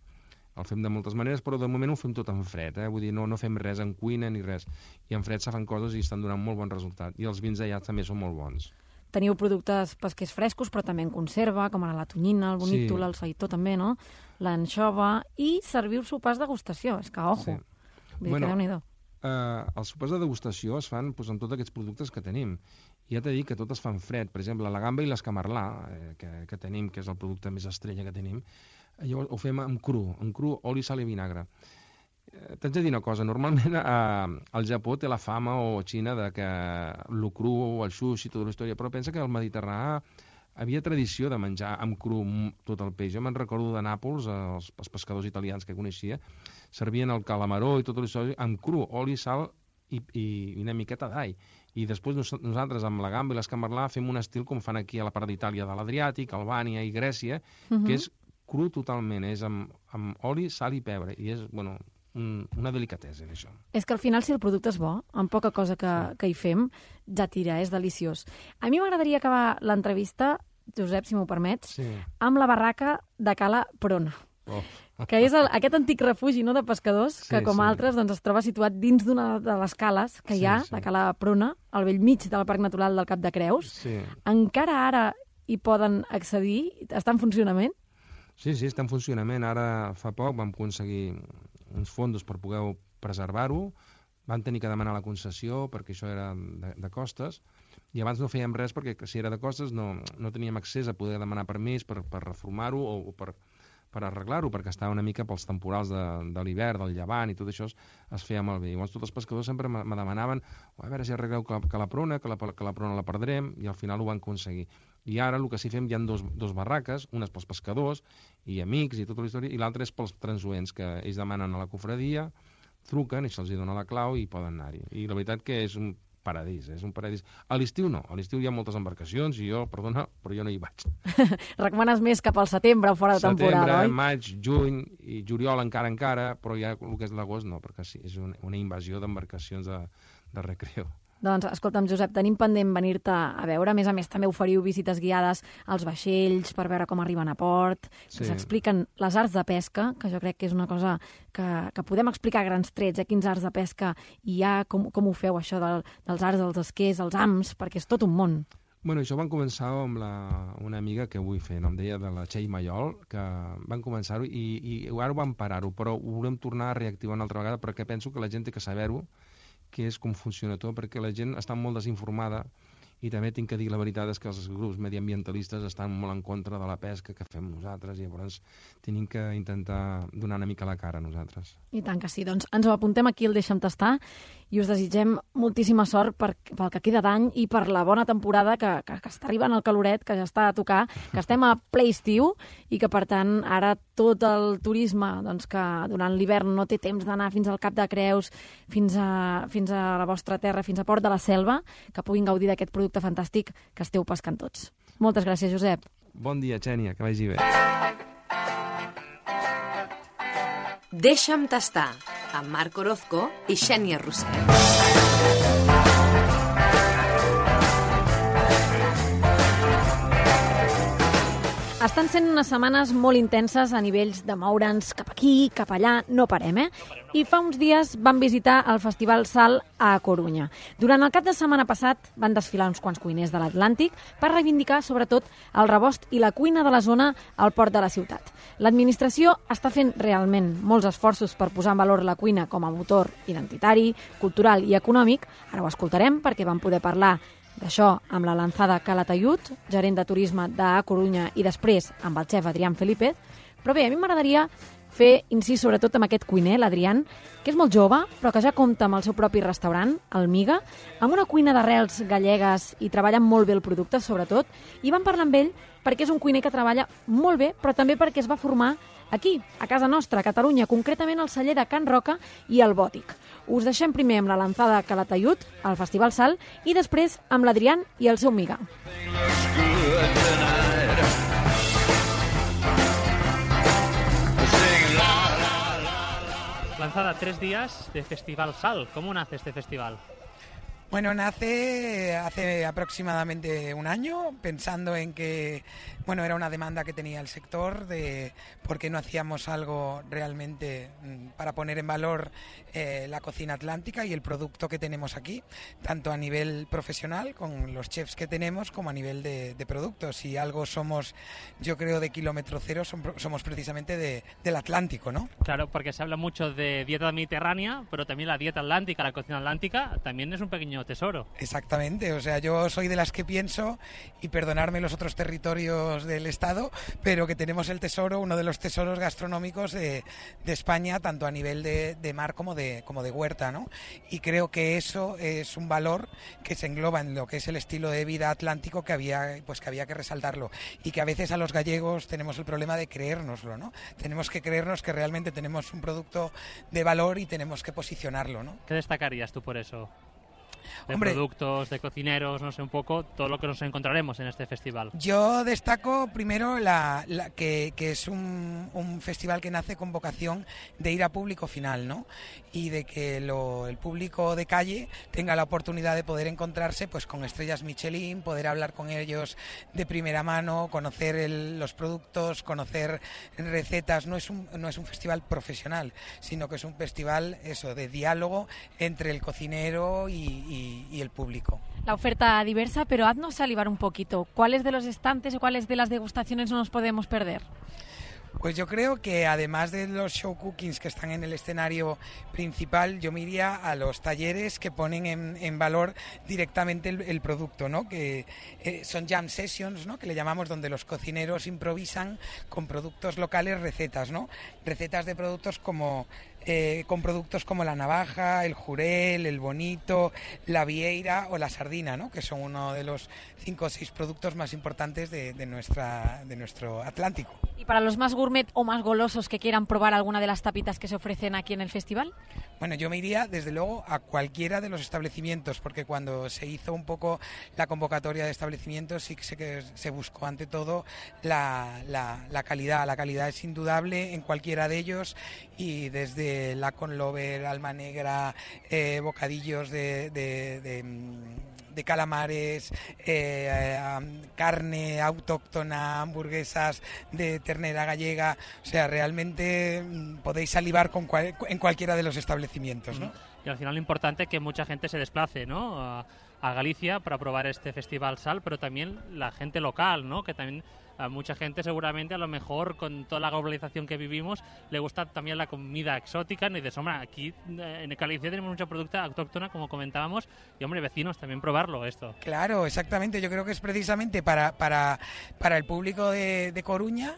el fem de moltes maneres, però de moment ho fem tot en fred, vull dir, no fem res en cuina ni res. I en fred se fan coses i estan donant molt bon resultat. I els vins allà també són molt bons. Teniu productes pesquers frescos, però també en conserva, com ara la tonyina, el bonítol, el saïtó també, no?, l'anxova, i serviu sopars de degustació. És que, ojo, vull dir que Déu-n'hi-do. Els sopars de degustació es fan amb tots aquests productes que tenim. I ja t'he dit que tot es fan fred. Per exemple, la gamba i l'escamarlà, que tenim, que és el producte més estrella que tenim, llavors ho fem amb cru, oli, sal i vinagre. T'haig de dir una cosa, normalment el Japó té la fama, o Xina, de que el cru, el sushi, tota la història, però pensa que el Mediterrani havia tradició de menjar amb cru tot el peix. Jo me'n recordo de Nàpols, els pescadors italians que coneixia, servien el calamaró i tota la història amb cru, oli, sal i una miqueta d'all. I després nosaltres, amb la gamba i l'escamarlà, fem un estil com fan aquí a la part d'Itàlia de l'Adriàtic, Albània i Grècia, que és cru totalment, és amb oli, sal i pebre, i és, bueno, una delicatesa, això. És que al final, si el producte és bo, amb poca cosa que hi fem, ja tira, és deliciós. A mi m'agradaria acabar l'entrevista, Josep, si m'ho permets, amb la barraca de Cala Prona, que és aquest antic refugi, no?, de pescadors, que com altres doncs, es troba situat dins d'una de les cales que hi ha, de Cala Prona, al bell mig del Parc Natural del Cap de Creus. Encara ara hi poden accedir? Està en funcionament? Sí, està en funcionament. Ara fa poc vam aconseguir uns fons per poder preservar-ho. Van tenir que demanar la concessió perquè això era de costes, i abans no fèiem res perquè si era de costes no teníem accés a poder demanar permís per reformar-ho o per arreglar-ho, perquè estava una mica pels temporals de l'hivern, del llevant, i tot això es feia malbé. Llavors tots els pescadors sempre me demanaven a veure si arregleu que la prona la perdrem, i al final ho van aconseguir. I ara el que sí fem, hi ha dos barraques, una és pels pescadors i amics i tota la història, i l'altra és pels transuents, que ells demanen a la cofradia, truquen i se'ls dona la clau i poden anar-hi. I la veritat que és un paradís, és un paradís. A l'estiu no, a l'estiu hi ha moltes embarcacions i jo, perdona, però jo no hi vaig. Recomanes més cap al setembre o fora de temporada, oi? Setembre, maig, juny i juliol encara, però ja el que és l'agost no, perquè sí, és una invasió d'embarcacions de recreo. Doncs, escolta'm, Josep, tenim pendent venir-te a veure. A més, també oferiu visites guiades als vaixells per veure com arriben a port, que s'expliquen les arts de pesca, que jo crec que és una cosa que podem explicar a grans trets, quins arts de pesca hi ha, com ho feu, això dels arts dels esquers, els ams, perquè és tot un món. Bueno, això van començar amb una amiga que vull fer, em deia de la Txell Mayol, que van començar-ho i ara ho van parar-ho, però ho volem tornar a reactivar una altra vegada perquè penso que la gent té que saber-ho, que és com funciona tot, perquè la gent està molt desinformada i també tinc que dir la veritat és que els grups mediambientalistes estan molt en contra de la pesca que fem nosaltres i llavors tenim que intentar donar una mica la cara a nosaltres. I tant que sí, doncs ens ho apuntem aquí al Deixa'm Tastar i us desitgem moltíssima sort pel que queda d'any i per la bona temporada que està arribant el caloret, que ja està a tocar, que estem a ple estiu i que per tant ara tot el turisme doncs, que durant l'hivern no té temps d'anar fins al Cap de Creus, fins a la vostra terra, fins a Port de la Selva, que puguin gaudir d'aquest producte fantàstic que esteu pescant tots. Moltes gràcies, Josep. Bon dia, Xènia, que vagi bé. Deixa'm tastar, amb Marc Orozco i Xènia Roset. Estan sent unes setmanes molt intenses a nivells de moure'ns cap aquí, cap allà, no parem, I fa uns dies vam visitar el Festival Sal a Corunya. Durant el cap de setmana passat van desfilar uns quants cuiners de l'Atlàntic per reivindicar, sobretot, el rebost i la cuina de la zona al port de la ciutat. L'administració està fent realment molts esforços per posar en valor la cuina com a motor identitari, cultural i econòmic. Ara ho escoltarem perquè vam poder parlar d'això amb la Lanzada Calatayud, gerent de turisme d'A Corunya, i després amb el xef Adrián Felipe. Però bé, a mi m'agradaria fer incís sobretot amb aquest cuiner, l'Adrián, que és molt jove, però que ja compta amb el seu propi restaurant, el Miga, amb una cuina d'arrels gallegues i treballa molt bé el producte, sobretot, i vam parlar amb ell perquè és un cuiner que treballa molt bé, però també perquè es va formar aquí, a casa nostra, a Catalunya, concretament al celler de Can Roca i al Bòtic. Us deixem primer amb la Lanzada Calatayud, al Festival Sal, i després amb l'Adrián i el seu Miga. Lanzada, 3 días de Festival Sal. ¿Cómo nace este festival? Bueno, nace hace aproximadamente un año, pensando en que, bueno, era una demanda que tenía el sector de por qué no hacíamos algo realmente para poner en valor la cocina atlántica y el producto que tenemos aquí, tanto a nivel profesional con los chefs que tenemos como a nivel de productos. Si algo somos, yo creo, de kilómetro cero, somos precisamente del Atlántico, ¿no? Claro, porque se habla mucho de dieta mediterránea, pero también la dieta atlántica, la cocina atlántica, también es un pequeño tesoro. Exactamente, o sea, yo soy de las que pienso, y perdonarme los otros territorios del Estado, pero que tenemos el tesoro, uno de los tesoros gastronómicos de España, tanto a nivel de mar como de huerta, ¿no? Y creo que eso es un valor que se engloba en lo que es el estilo de vida atlántico que había que resaltarlo, y que a veces a los gallegos tenemos el problema de creérnoslo, ¿no? Tenemos que creernos que realmente tenemos un producto de valor y tenemos que posicionarlo, ¿no? ¿Qué destacarías tú por eso? De Hombre, productos, de cocineros, no sé, un poco todo lo que nos encontraremos en este festival. Yo destaco primero que es un festival que nace con vocación de ir a público final, ¿no? Y de que el público de calle tenga la oportunidad de poder encontrarse pues con estrellas Michelin, poder hablar con ellos de primera mano, conocer los productos, conocer recetas. No es un festival profesional, sino que es un festival de diálogo entre el cocinero y el público. La oferta diversa, pero haznos salivar un poquito. ¿Cuáles de los estantes o cuáles de las degustaciones no nos podemos perder? Pues yo creo que además de los show cookings que están en el escenario principal, yo me iría a los talleres que ponen en valor directamente el producto, ¿no? Que son jam sessions, ¿no? Que le llamamos, donde los cocineros improvisan con productos locales recetas, ¿no? Recetas de productos con productos como la navaja, el jurel, el bonito, la vieira o la sardina, ¿no? Que son uno de los 5 o 6 productos más importantes de nuestro Atlántico. ¿Y para los más gourmet o más golosos que quieran probar alguna de las tapitas que se ofrecen aquí en el festival? Bueno, yo me iría desde luego a cualquiera de los establecimientos, porque cuando se hizo un poco la convocatoria de establecimientos sí que se buscó ante todo la calidad. La calidad es indudable en cualquiera de ellos, y desde la Conlover, Alma Negra, bocadillos de calamares, carne autóctona, hamburguesas de ternera gallega, o sea, realmente podéis salivar en cualquiera de los establecimientos, ¿no? Y al final lo importante es que mucha gente se desplace, ¿no? a Galicia para probar este Festival Sal, pero también la gente local, ¿no? Que también a mucha gente seguramente, a lo mejor con toda la globalización que vivimos, le gusta también la comida exótica, y dices, hombre, aquí en Galicia tenemos mucha producto autóctona, como comentábamos, y hombre, vecinos, también probarlo esto. Claro, exactamente, yo creo que es precisamente para el público de Coruña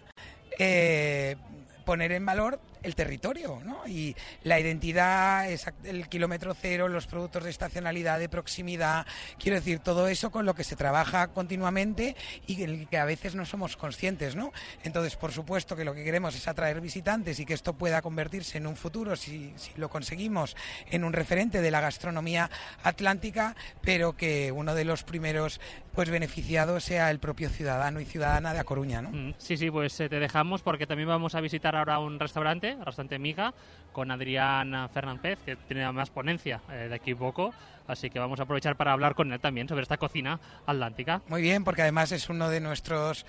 poner en valor el territorio, ¿no? Y la identidad, el kilómetro cero, los productos de estacionalidad, de proximidad, quiero decir, todo eso con lo que se trabaja continuamente y que a veces no somos conscientes, ¿no? Entonces, por supuesto que lo que queremos es atraer visitantes y que esto pueda convertirse en un futuro, si lo conseguimos, en un referente de la gastronomía atlántica, pero que uno de los primeros beneficiados sea el propio ciudadano y ciudadana de A Coruña, ¿no? Sí, pues te dejamos porque también vamos a visitar ahora un restaurante Miga, con Adrián Fernández, que tiene más ponencia de aquí poco, así que vamos a aprovechar para hablar con él también sobre esta cocina atlántica. Muy bien, porque además es uno de nuestros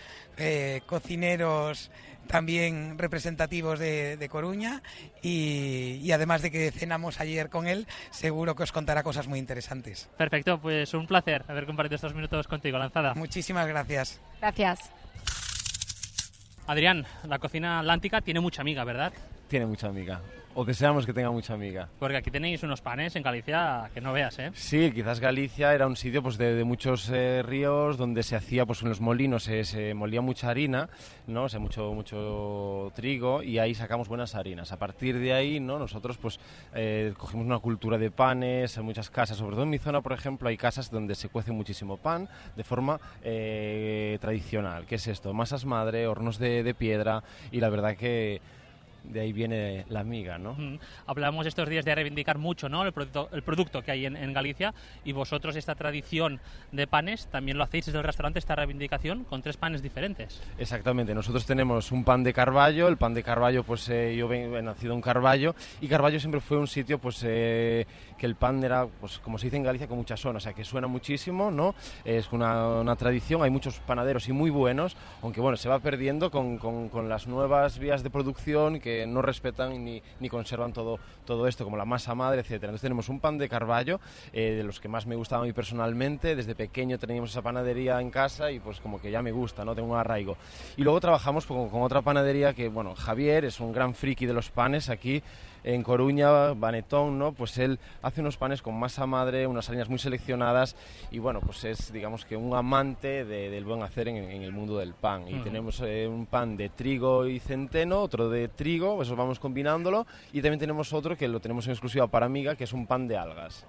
cocineros también representativos de Coruña y además de que cenamos ayer con él, seguro que os contará cosas muy interesantes. Perfecto, pues un placer haber compartido estos minutos contigo, Lanzada. Muchísimas gracias. Gracias. Adrián, la cocina atlántica tiene mucha amiga, ¿verdad? Tiene mucha amiga, o deseamos que tenga mucha amiga. Porque aquí tenéis unos panes en Galicia que no veas, ¿eh? Sí, quizás Galicia era un sitio de muchos ríos donde se hacía, en los molinos se molía mucha harina, ¿no? O sea, mucho trigo, y ahí sacamos buenas harinas. A partir de ahí, ¿no? Nosotros cogimos una cultura de panes en muchas casas, sobre todo en mi zona, por ejemplo, hay casas donde se cuece muchísimo pan de forma tradicional. ¿Qué es esto? Masas madre, hornos de piedra, y la verdad que de ahí viene la amiga, ¿no? Hablamos estos días de reivindicar mucho, ¿no? el producto que hay en Galicia, y vosotros esta tradición de panes también lo hacéis desde el restaurante, esta reivindicación con 3 panes diferentes. Exactamente, nosotros tenemos un pan de Carballo. El pan de Carballo, yo he nacido en Carballo, y Carballo siempre fue un sitio que el pan era, como se dice en Galicia, con mucha zona, o sea, que suena muchísimo, ¿no? Es una tradición, hay muchos panaderos y muy buenos, aunque bueno, se va perdiendo con las nuevas vías de producción que no respetan ni conservan todo esto, como la masa madre, etcétera. Entonces tenemos un pan de Carballo, de los que más me gustaba a mí personalmente. Desde pequeño teníamos esa panadería en casa y como que ya me gusta, ¿no? Tengo un arraigo. Y luego trabajamos con otra panadería que, Javier es un gran friki de los panes aquí en Coruña, Banetón, ¿no? Pues él hace unos panes con masa madre, unas harinas muy seleccionadas, y es, digamos, que un amante del buen hacer en el mundo del pan. Y tenemos un pan de trigo y centeno, otro de trigo, eso vamos combinándolo, y también tenemos otro que lo tenemos en exclusiva para Amiga, que es un pan de algas.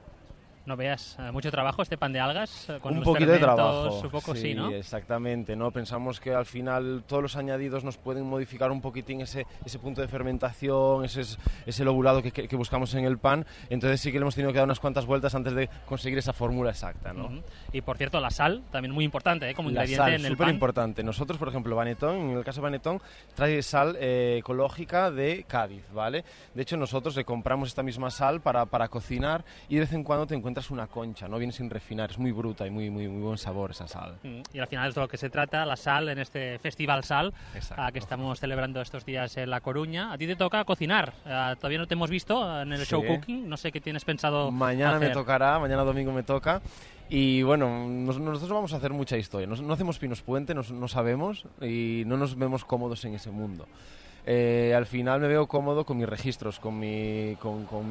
No veas, mucho trabajo este pan de algas, con un los poquito de trabajo, un poco, sí, ¿no? Exactamente, ¿no? Pensamos que al final todos los añadidos nos pueden modificar un poquitín ese punto de fermentación, ese lobulado que buscamos en el pan. Entonces sí que le hemos tenido que dar unas cuantas vueltas antes de conseguir esa fórmula exacta, ¿no? Y por cierto, la sal también muy importante, como ingrediente en el pan. La sal, súper importante. Nosotros, por ejemplo, Banetón, en el caso de Banetón, trae sal ecológica de Cádiz, ¿vale? De hecho, nosotros le compramos esta misma sal para cocinar, y de vez en cuando te encuentras una concha, no viene sin refinar, es muy bruta y muy buen sabor esa sal. Y al final es de lo que se trata, la sal, en este Festival Sal que estamos celebrando estos días en La Coruña. A ti te toca cocinar, todavía no te hemos visto en el show cooking, no sé qué tienes pensado mañana hacer. Me tocará, mañana domingo me toca. Y bueno, nosotros vamos a hacer mucha historia, no hacemos pinos puente, no sabemos y no nos vemos cómodos en ese mundo. Al final me veo cómodo con mis registros, con mi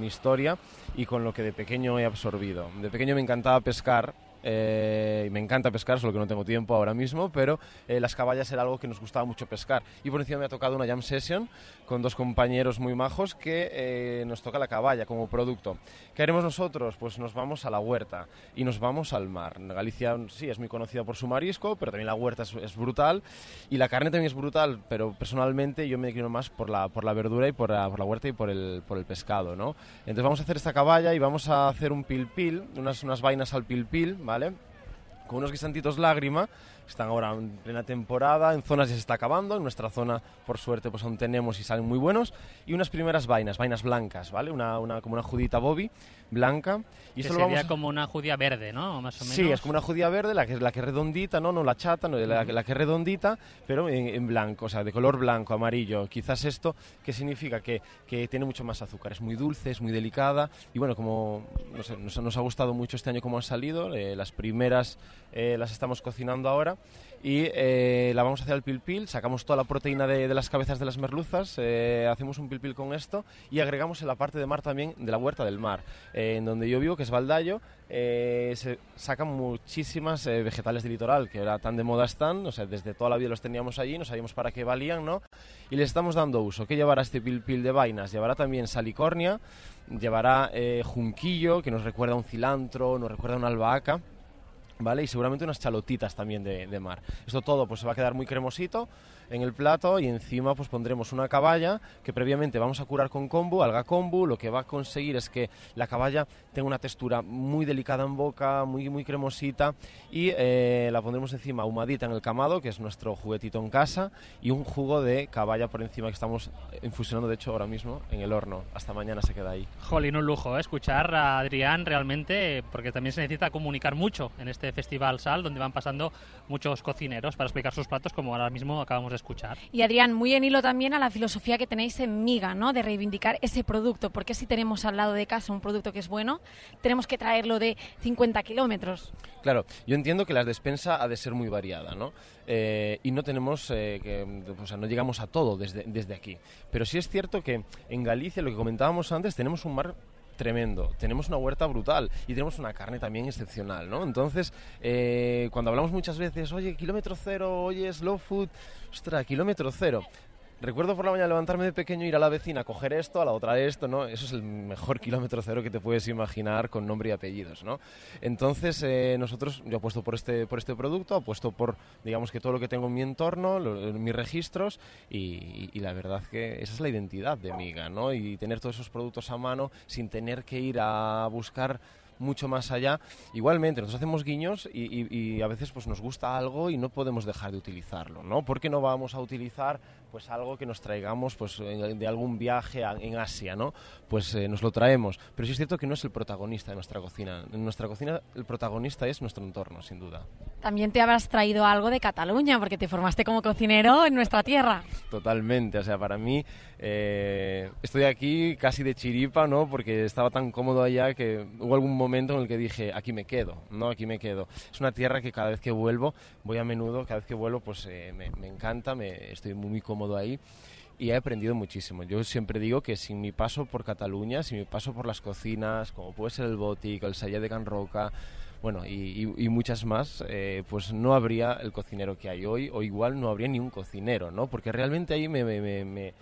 historia y con lo que de pequeño he absorbido. De pequeño me encantaba pescar, me encanta pescar, solo que no tengo tiempo ahora mismo, pero las caballas era algo que nos gustaba mucho pescar. Y por encima me ha tocado una jam session con 2 compañeros muy majos que nos toca la caballa como producto. ¿Qué haremos nosotros? Pues nos vamos a la huerta y nos vamos al mar. Galicia sí es muy conocida por su marisco, pero también la huerta es brutal, y la carne también es brutal, pero personalmente yo me declino más por la verdura y por la huerta y por el pescado, ¿no? Entonces vamos a hacer esta caballa y vamos a hacer un pilpil, unas vainas al pilpil, ¿vale? Con unos guisantitos lágrima, están ahora en plena temporada, en zonas ya se está acabando, en nuestra zona por suerte pues aún tenemos y salen muy buenos, y unas primeras vainas blancas, ¿vale? Como una judita Bobby blanca. Y que esto sería como una judía verde, ¿no? Más o menos. Sí, es como una judía verde, la que es redondita, no la chata, no, la que es redondita, pero en blanco, o sea, de color blanco, amarillo. Quizás esto, ¿qué significa? Que tiene mucho más azúcar, es muy dulce, es muy delicada, y bueno, como no sé, nos ha gustado mucho este año cómo han salido, las primeras las estamos cocinando ahora, y la vamos a hacer al pil-pil, sacamos toda la proteína de las cabezas de las merluzas, hacemos un pil-pil con esto, y agregamos en la parte de mar también de la huerta del mar, en donde yo vivo, que es Valdayo, se sacan muchísimas vegetales de litoral, que ahora tan de moda están, o sea, desde toda la vida los teníamos allí, no sabíamos para qué valían, ¿no? Y les estamos dando uso. ¿Qué llevará este pil-pil de vainas? Llevará también salicornia, llevará junquillo, que nos recuerda a un cilantro, nos recuerda a una albahaca, ¿vale? Y seguramente unas chalotitas también de mar. Esto todo pues se va a quedar muy cremosito en el plato, y encima pues pondremos una caballa que previamente vamos a curar con kombu, alga kombu. Lo que va a conseguir es que la caballa tenga una textura muy delicada en boca, muy, muy cremosita, y la pondremos encima ahumadita en el camado, que es nuestro juguetito en casa, y un jugo de caballa por encima que estamos infusionando de hecho ahora mismo en el horno. Hasta mañana se queda ahí. Jolín, un lujo, escuchar a Adrián realmente, porque también se necesita comunicar mucho en este Festival Sal, donde van pasando muchos cocineros para explicar sus platos, como ahora mismo acabamos de escuchar. Y Adrián, muy en hilo también a la filosofía que tenéis en Miga, ¿no? De reivindicar ese producto, porque si tenemos al lado de casa un producto que es bueno, tenemos que traerlo de 50 kilómetros. Claro, yo entiendo que la despensa ha de ser muy variada, ¿no? Y no tenemos, no llegamos a todo desde aquí. Pero sí es cierto que en Galicia, lo que comentábamos antes, tenemos un mar tremendo, tenemos una huerta brutal y tenemos una carne también excepcional, ¿no? Entonces, cuando hablamos muchas veces, oye, kilómetro cero, oye, slow food, ostras, kilómetro cero. Recuerdo por la mañana levantarme de pequeño, ir a la vecina a coger esto, a la otra esto, ¿no? Eso es el mejor kilómetro cero que te puedes imaginar, con nombre y apellidos, ¿no? Entonces, yo apuesto por este producto, apuesto por, digamos, que todo lo que tengo en mi entorno, mis registros, y la verdad que esa es la identidad de Miga, ¿no? Y tener todos esos productos a mano sin tener que ir a buscar mucho más allá. Igualmente, nosotros hacemos guiños y a veces pues nos gusta algo y no podemos dejar de utilizarlo, ¿no? ¿Por qué no vamos a utilizar pues algo que nos traigamos pues de algún viaje en Asia, ¿no? Pues nos lo traemos, pero sí es cierto que no es el protagonista de nuestra cocina. En nuestra cocina el protagonista es nuestro entorno, sin duda. También te habrás traído algo de Cataluña, porque te formaste como cocinero en nuestra tierra. Totalmente, o sea, para mí estoy aquí casi de chiripa, ¿no? Porque estaba tan cómodo allá que hubo algún momento en el que dije, aquí me quedo, ¿no? Aquí me quedo. Es una tierra que cada vez que vuelvo, voy a menudo, cada vez que vuelvo pues me encanta, estoy muy cómodo ahí. Y he aprendido muchísimo. Yo siempre digo que sin mi paso por Cataluña, sin mi paso por las cocinas, como puede ser el Bòtic, el Celler de Can Roca, bueno, y muchas más, pues no habría el cocinero que hay hoy, o igual no habría ni un cocinero, ¿no? Porque realmente ahí me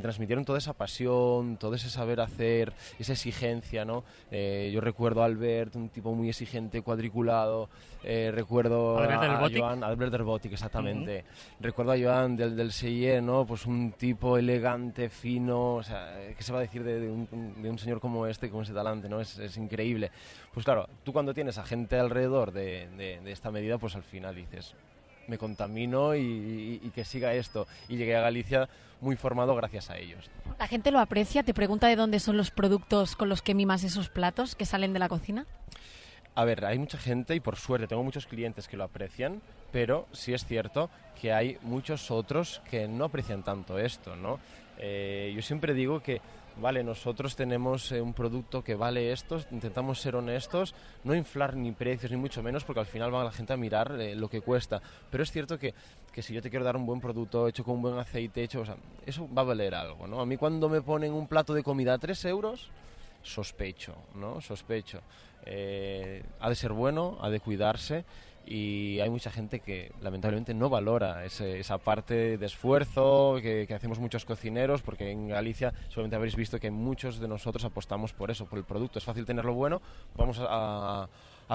transmitieron toda esa pasión, todo ese saber hacer, esa exigencia, ¿no? Yo recuerdo a Albert, un tipo muy exigente, cuadriculado, recuerdo a Joan, Albert del Bòtic, exactamente. Recuerdo a Joan del Celler, ¿no? Pues un tipo elegante, fino, o sea, ¿qué se va a decir de un señor como este, con ese talante, ¿no? Es increíble. Pues claro, tú cuando tienes a gente alrededor de esta medida, pues al final dices, me contamino y que siga esto. Y llegué a Galicia muy formado gracias a ellos. ¿La gente lo aprecia? ¿Te pregunta de dónde son los productos con los que mimas esos platos que salen de la cocina? A ver, hay mucha gente y por suerte tengo muchos clientes que lo aprecian, pero sí es cierto que hay muchos otros que no aprecian tanto esto, ¿no? Yo siempre digo que vale, nosotros tenemos un producto que vale esto, intentamos ser honestos, no inflar ni precios ni mucho menos, porque al final va la gente a mirar lo que cuesta, pero es cierto que si yo te quiero dar un buen producto hecho con un buen aceite, o sea, eso va a valer algo, ¿no? A mí cuando me ponen un plato de comida a 3 euros, sospecho, ¿no? Sospecho. Ha de ser bueno, ha de cuidarse, y hay mucha gente que lamentablemente no valora esa parte de esfuerzo que hacemos muchos cocineros, porque en Galicia seguramente habréis visto que muchos de nosotros apostamos por eso, por el producto. Es fácil tenerlo bueno, vamos a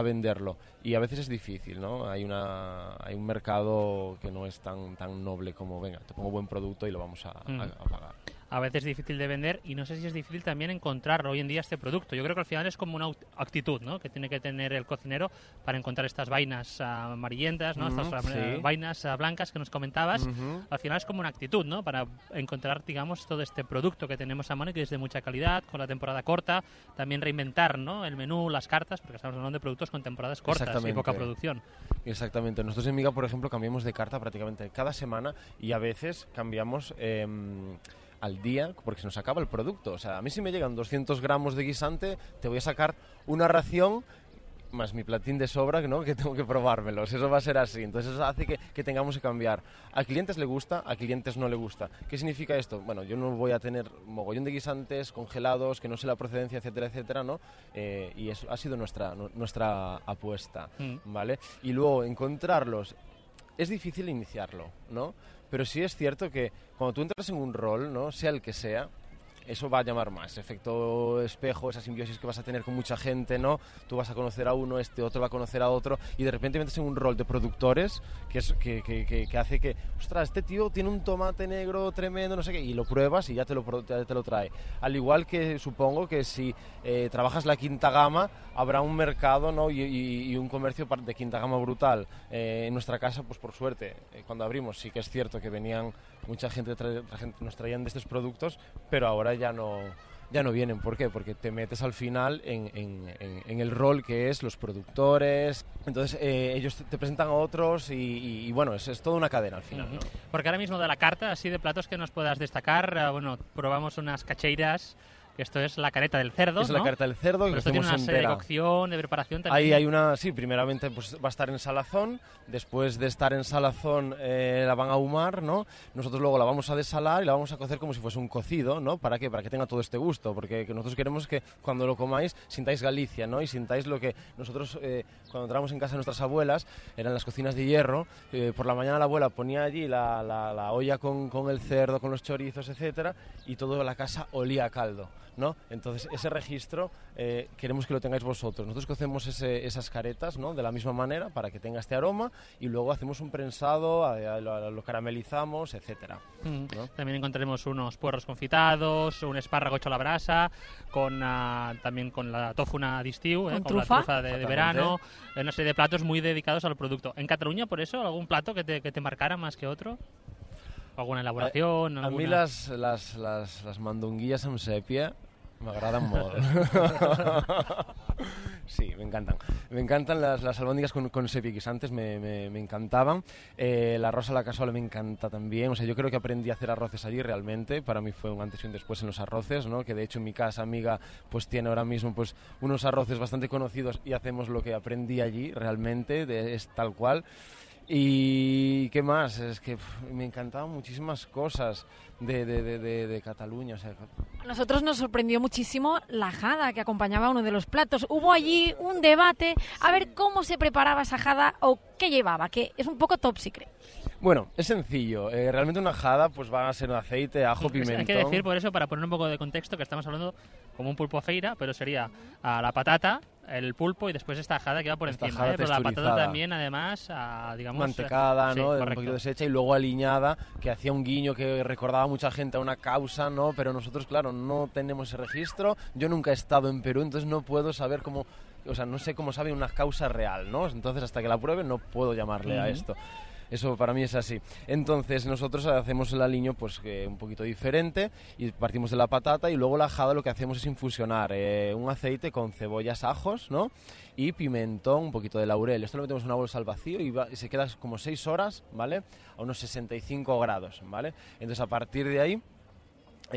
venderlo, y a veces es difícil, ¿no? Hay un mercado que no es tan noble como, venga, te pongo buen producto y lo vamos a pagar. a veces difícil de vender y no sé si es difícil también encontrar hoy en día este producto. Yo creo que al final es como una actitud, ¿no?, que tiene que tener el cocinero para encontrar estas vainas amarillentas, ¿no?, estas vainas blancas que nos comentabas. Al final es como una actitud, ¿no?, para encontrar, digamos, todo este producto que tenemos a mano y que es de mucha calidad, con la temporada corta, también reinventar, ¿no?, el menú, las cartas, porque estamos hablando de productos con temporadas cortas y poca producción. Exactamente. Nosotros en Miga, por ejemplo, cambiamos de carta prácticamente cada semana y a veces cambiamos al día porque se nos acaba el producto. O sea, a mí si me llegan 200 gramos de guisante, te voy a sacar una ración más mi platín de sobra, ¿no?, que tengo que probármelos. Eso va a ser así. Entonces eso hace que tengamos que cambiar. A clientes le gusta, a clientes no le gusta. ¿Qué significa esto? Bueno, yo no voy a tener mogollón de guisantes congelados, que no sé la procedencia, etcétera, etcétera, ¿no? Y eso ha sido nuestra apuesta, ¿vale? Y luego encontrarlos. Es difícil iniciarlo, ¿no? Pero sí es cierto que cuando tú entras en un rol, ¿no?, sea el que sea, eso va a llamar más. Efecto espejo, esa simbiosis que vas a tener con mucha gente, ¿no? Tú vas a conocer a uno, este otro va a conocer a otro, y de repente metes en un rol de productores que hace que, ostras, este tío tiene un tomate negro tremendo, no sé qué, y lo pruebas y ya te lo trae. Al igual que supongo que si trabajas la quinta gama, habrá un mercado, ¿no?, y un comercio de quinta gama brutal. En nuestra casa, pues por suerte, cuando abrimos sí que es cierto que venían mucha gente, nos traían de estos productos, pero ahora ya no vienen. ¿Por qué? Porque te metes al final en el rol que es los productores. Entonces ellos te presentan a otros y bueno, es toda una cadena al final, ¿no? Porque ahora mismo de la carta, así de platos que nos puedas destacar, bueno, probamos unas cacheiras. Esto es la careta del cerdo, es la careta del cerdo. Pero esto tiene una serie de cocción, de preparación también. Ahí hay una, sí, primeramente pues va a estar en salazón. Después de estar en salazón la van a ahumar, ¿no? Nosotros luego la vamos a desalar y la vamos a cocer como si fuese un cocido, ¿no? ¿Para qué? Para que tenga todo este gusto, porque nosotros queremos que cuando lo comáis sintáis Galicia, ¿no? Y sintáis lo que nosotros cuando entramos en casa de nuestras abuelas, eran las cocinas de hierro. Por la mañana la abuela ponía allí la olla con el cerdo, con los chorizos, etcétera, y toda la casa olía a caldo, ¿no? Entonces ese registro queremos que lo tengáis vosotros. Nosotros cocemos esas caretas, ¿no?, de la misma manera para que tenga este aroma, y luego hacemos un prensado, lo caramelizamos, etcétera, ¿no? También encontraremos unos puerros confitados, un espárrago hecho a la brasa, también con la tòfona d'estiu, con la trufa de verano, una serie de platos muy dedicados al producto. En Cataluña, por eso, algún plato que te marcara más que otro? ¿Alguna elaboración? A mí las mandonguillas amb sèpia m'agraden molt. Sí, me encantan. Me encantan las albóndigas con sépia guisantes, me encantaban. El arroz a la cazuela me encanta también. O sea, yo creo que aprendí a hacer arroces allí realmente. Para mí fue un antes y un después en los arroces, ¿no? Que de hecho en mi casa amiga pues tiene ahora mismo pues unos arroces bastante conocidos y hacemos lo que aprendí allí realmente, es tal cual. Y qué más, es que me encantaban muchísimas cosas de Cataluña. O sea, a nosotros nos sorprendió muchísimo la jada que acompañaba uno de los platos. Hubo allí un debate a ver cómo se preparaba esa jada o qué llevaba, que es un poco top secret. Bueno, es sencillo. Realmente una jada pues va a ser aceite, ajo, pimentón. Hay que decir por eso, para poner un poco de contexto, que estamos hablando como un pulpo a feira, pero sería la patata, el pulpo y después esta jada que va por encima, pero la patata también, además, digamos... mantecada, sí, ¿no? Correcto. Un poquito deshecha y luego aliñada, que hacía un guiño que recordaba a mucha gente a una causa, ¿no? Pero nosotros, claro, no tenemos ese registro. Yo nunca he estado en Perú, entonces no puedo saber cómo... O sea, no sé cómo sabe una causa real, ¿no? Entonces, hasta que la pruebe, no puedo llamarle a esto. Eso para mí es así. Entonces nosotros hacemos el aliño pues un poquito diferente y partimos de la patata, y luego la jada lo que hacemos es infusionar un aceite con cebollas, ajos, ¿no? Y pimentón, un poquito de laurel. Esto lo metemos en una bolsa al vacío y se queda como 6 horas, ¿vale? A unos 65 grados, ¿vale? Entonces a partir de ahí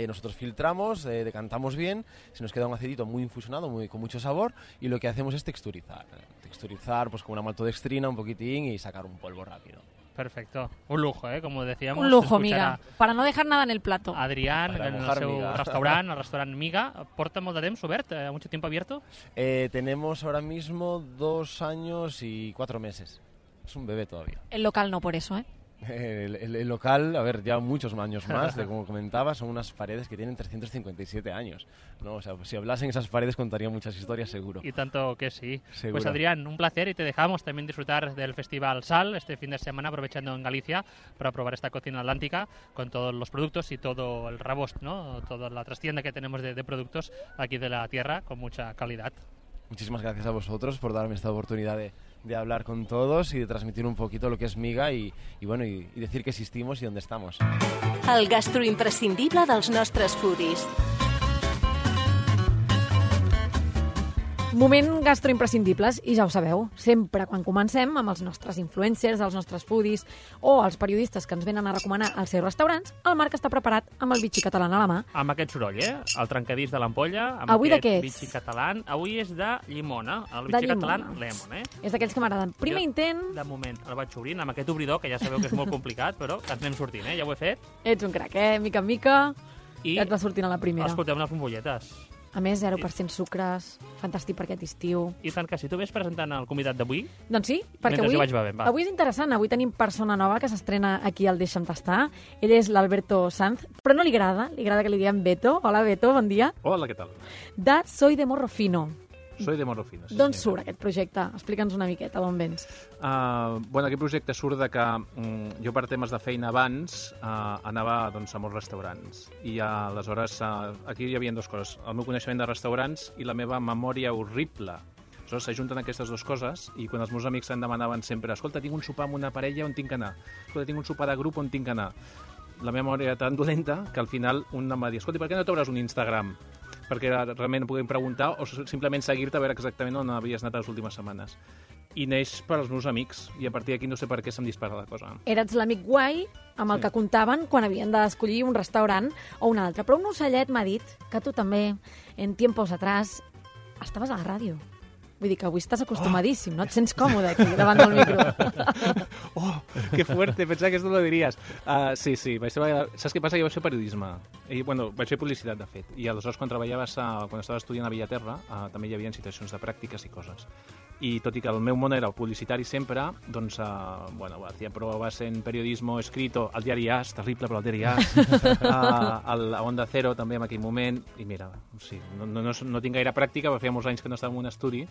nosotros filtramos, decantamos bien, se nos queda un aceitito muy infusionado, con mucho sabor, y lo que hacemos es texturizar. Texturizar pues con una maltodextrina un poquitín y sacar un polvo rápido. Perfecto. Un lujo, como decíamos. Un lujo, Miga, para no dejar nada en el plato. Adrián, en el seu restaurant, el restaurant Miga, porta molt de temps obert, mucho tiempo abierto. Tenemos ahora mismo 2 años y 4 meses. Es un bebé todavía. El local no, por eso, El local, a ver, ya muchos años más, como comentaba, son unas paredes que tienen 357 años, ¿no? O sea, si hablasen esas paredes contaría muchas historias, seguro. Y tanto que sí. Seguro. Pues Adrián, un placer y te dejamos también disfrutar del Festival Sal este fin de semana, aprovechando en Galicia para probar esta cocina atlántica con todos los productos y todo el rebost, ¿no? Toda la trastienda que tenemos de productos aquí de la tierra con mucha calidad. Muchísimas gracias a vosotros por darme esta oportunidad de hablar con todos y de transmitir un poquito lo que es Miga y decir que existimos y dónde estamos. El gastroimprescindible dels nostres foodies. Moment gastroimprescindibles, i ja ho sabeu, sempre quan comencem amb els nostres influencers, els nostres foodies o els periodistes que ens venen a recomanar els seus restaurants, el Marc està preparat amb el bitxi català a la mà. Amb aquest soroll, El trencadís de l'ampolla, amb Avui aquest bitxi català. Avui és de llimona, el bitxi català lemon, És d'aquells que m'agraden. Primer intent... De moment, el vaig obrint amb aquest obridor, que ja sabeu que és molt complicat, però que ens anem sortint, Ja ho he fet. Ets un crac, Mica en mica, i ja et va sortint a la primera. Escolteu unes bombolletes. A més, 0% sucres, fantàstic per aquest estiu. I tant que si tu ves presentant el convidat d'avui... Doncs sí, perquè avui és interessant. Avui tenim persona nova que s'estrena aquí al Deixa'm Tastar. Ell és l'Alberto Sanz, però no li agrada que li diguem Beto. Hola, Beto, bon dia. Hola, què tal? De Soy de Morro Fino. Soy de Morro Fino. Sí, d'on surt aquest projecte? Explica'ns una miqueta d'on vens. Aquest projecte surt de que jo per temes de feina abans anava a molts restaurants i aleshores aquí hi havia dues coses, el meu coneixement de restaurants i la meva memòria horrible. Aleshores s'ajunten aquestes dues coses i quan els meus amics em demanaven sempre escolta, tinc un sopar amb una parella on tinc que anar, escolta, tinc un sopar de grup on tinc que anar, la meva memòria era tan dolenta que al final un em va dir escolta, per què no t'obres un Instagram? Perquè realment puguin preguntar o simplement seguir-te a veure exactament on havies anat les últimes setmanes. I neix per als meus amics, i a partir d'aquí no sé per què se'm dispara la cosa. Eres l'amic guai amb el que comptaven quan havien d'escollir un restaurant o un altre. Però un ocellet m'ha dit que tu també, en tiempos atrás, estaves a la ràdio. Vull dir que avui estàs acostumadíssim, no? Et sents còmode aquí, davant del micro. Que fuerte, pensava que esto lo diries. Sí, saps què passa? Jo vaig fer periodisme. Vaig fer publicitat, de fet. I aleshores, quan estava estudiant a Villaterra, també hi havia situacions de pràctiques i coses. I tot i que el meu món era el publicitari sempre, doncs, hacía pruebas en periodismo escrito, al diari AS, terrible, però al diari AS, a Onda Cero també en aquell moment, i mira, sí, no tinc gaire pràctica, perquè feia molts anys que no estava en un estudi,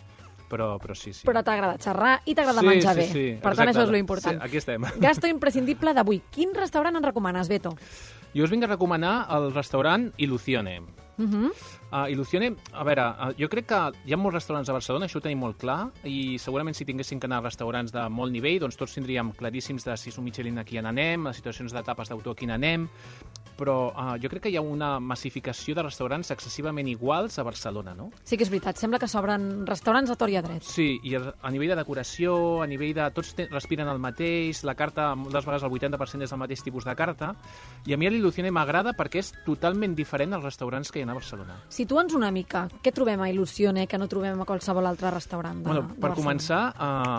però sí. Però t'agrada xerrar i t'agrada menjar bé. Sí, per tant, això és l'important. Sí, aquí estem. Gasto imprescindible d'avui. Quin restaurant ens recomanes, Beto? Jo us vinc a recomanar el restaurant Ilusione. Ilusione, a veure, jo crec que hi ha molts restaurants a Barcelona, això ho tenim molt clar, i segurament si tinguéssim que anar a restaurants de molt nivell, doncs tots tindríem claríssims de si és un Michelin aquí on anem, a situacions d'etapes d'autor aquí on anem, però jo crec que hi ha una massificació de restaurants excessivament iguals a Barcelona, no? Sí que és veritat, sembla que s'obren restaurants a tort i a dret. Sí, i a nivell de decoració, a nivell de... Tots respiren el mateix, la carta, moltes vegades el 80% és el mateix tipus de carta, i a mi l'Ilusione m'agrada perquè és totalment diferent als restaurants que hi ha a Barcelona. Situa'ns una mica. Què trobem a Ilusione que no trobem a qualsevol altre restaurant de Barcelona? Per començar,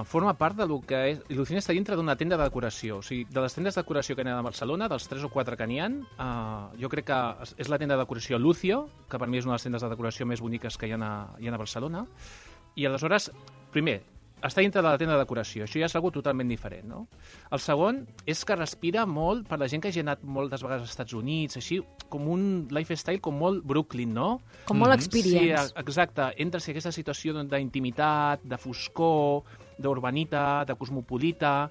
forma part del que és... Ilusione està dintre d'una tenda de decoració. O sigui, de les tendes de decoració que hi ha a Barcelona, dels 3 o 4 que n'hi ha, jo crec que és la tenda de decoració Lucio, que per mi és una de les tendes de decoració més boniques que hi ha a Barcelona. I aleshores, primer, està dintre de la tenda de decoració. Això ja és algo totalment diferent, no? El segon és que respira molt, per la gent que hagi anat moltes vegades als Estats Units, així, com un lifestyle com molt Brooklyn, no? Com molt experience. Sí, exacte. Entres en aquesta situació d'intimitat, de foscor, d'urbanitat, de cosmopolita,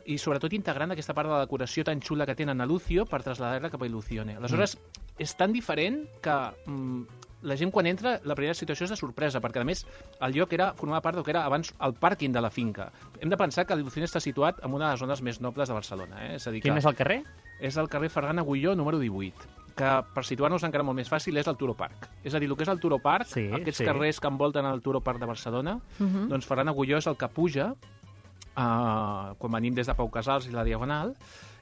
i sobretot integrant aquesta part de la decoració tan xula que tenen a Lucio per traslladar-la cap a Ilusione. Aleshores, és tan diferent que la gent quan entra, la primera situació és de sorpresa, perquè a més el lloc formava part del que era abans el pàrquing de la finca. Hem de pensar que l'Ilusione està situat en una de les zones més nobles de Barcelona. És a dir, quin és el carrer? És el carrer Ferran Agulló, número 18, que per situar-nos encara molt més fàcil és el Turo Park. És a dir, el que és el Turo Park, aquests carrers que envolten el Turo Park de Barcelona, doncs Ferran Agulló és el que puja quan venim des de Pau Casals i la Diagonal,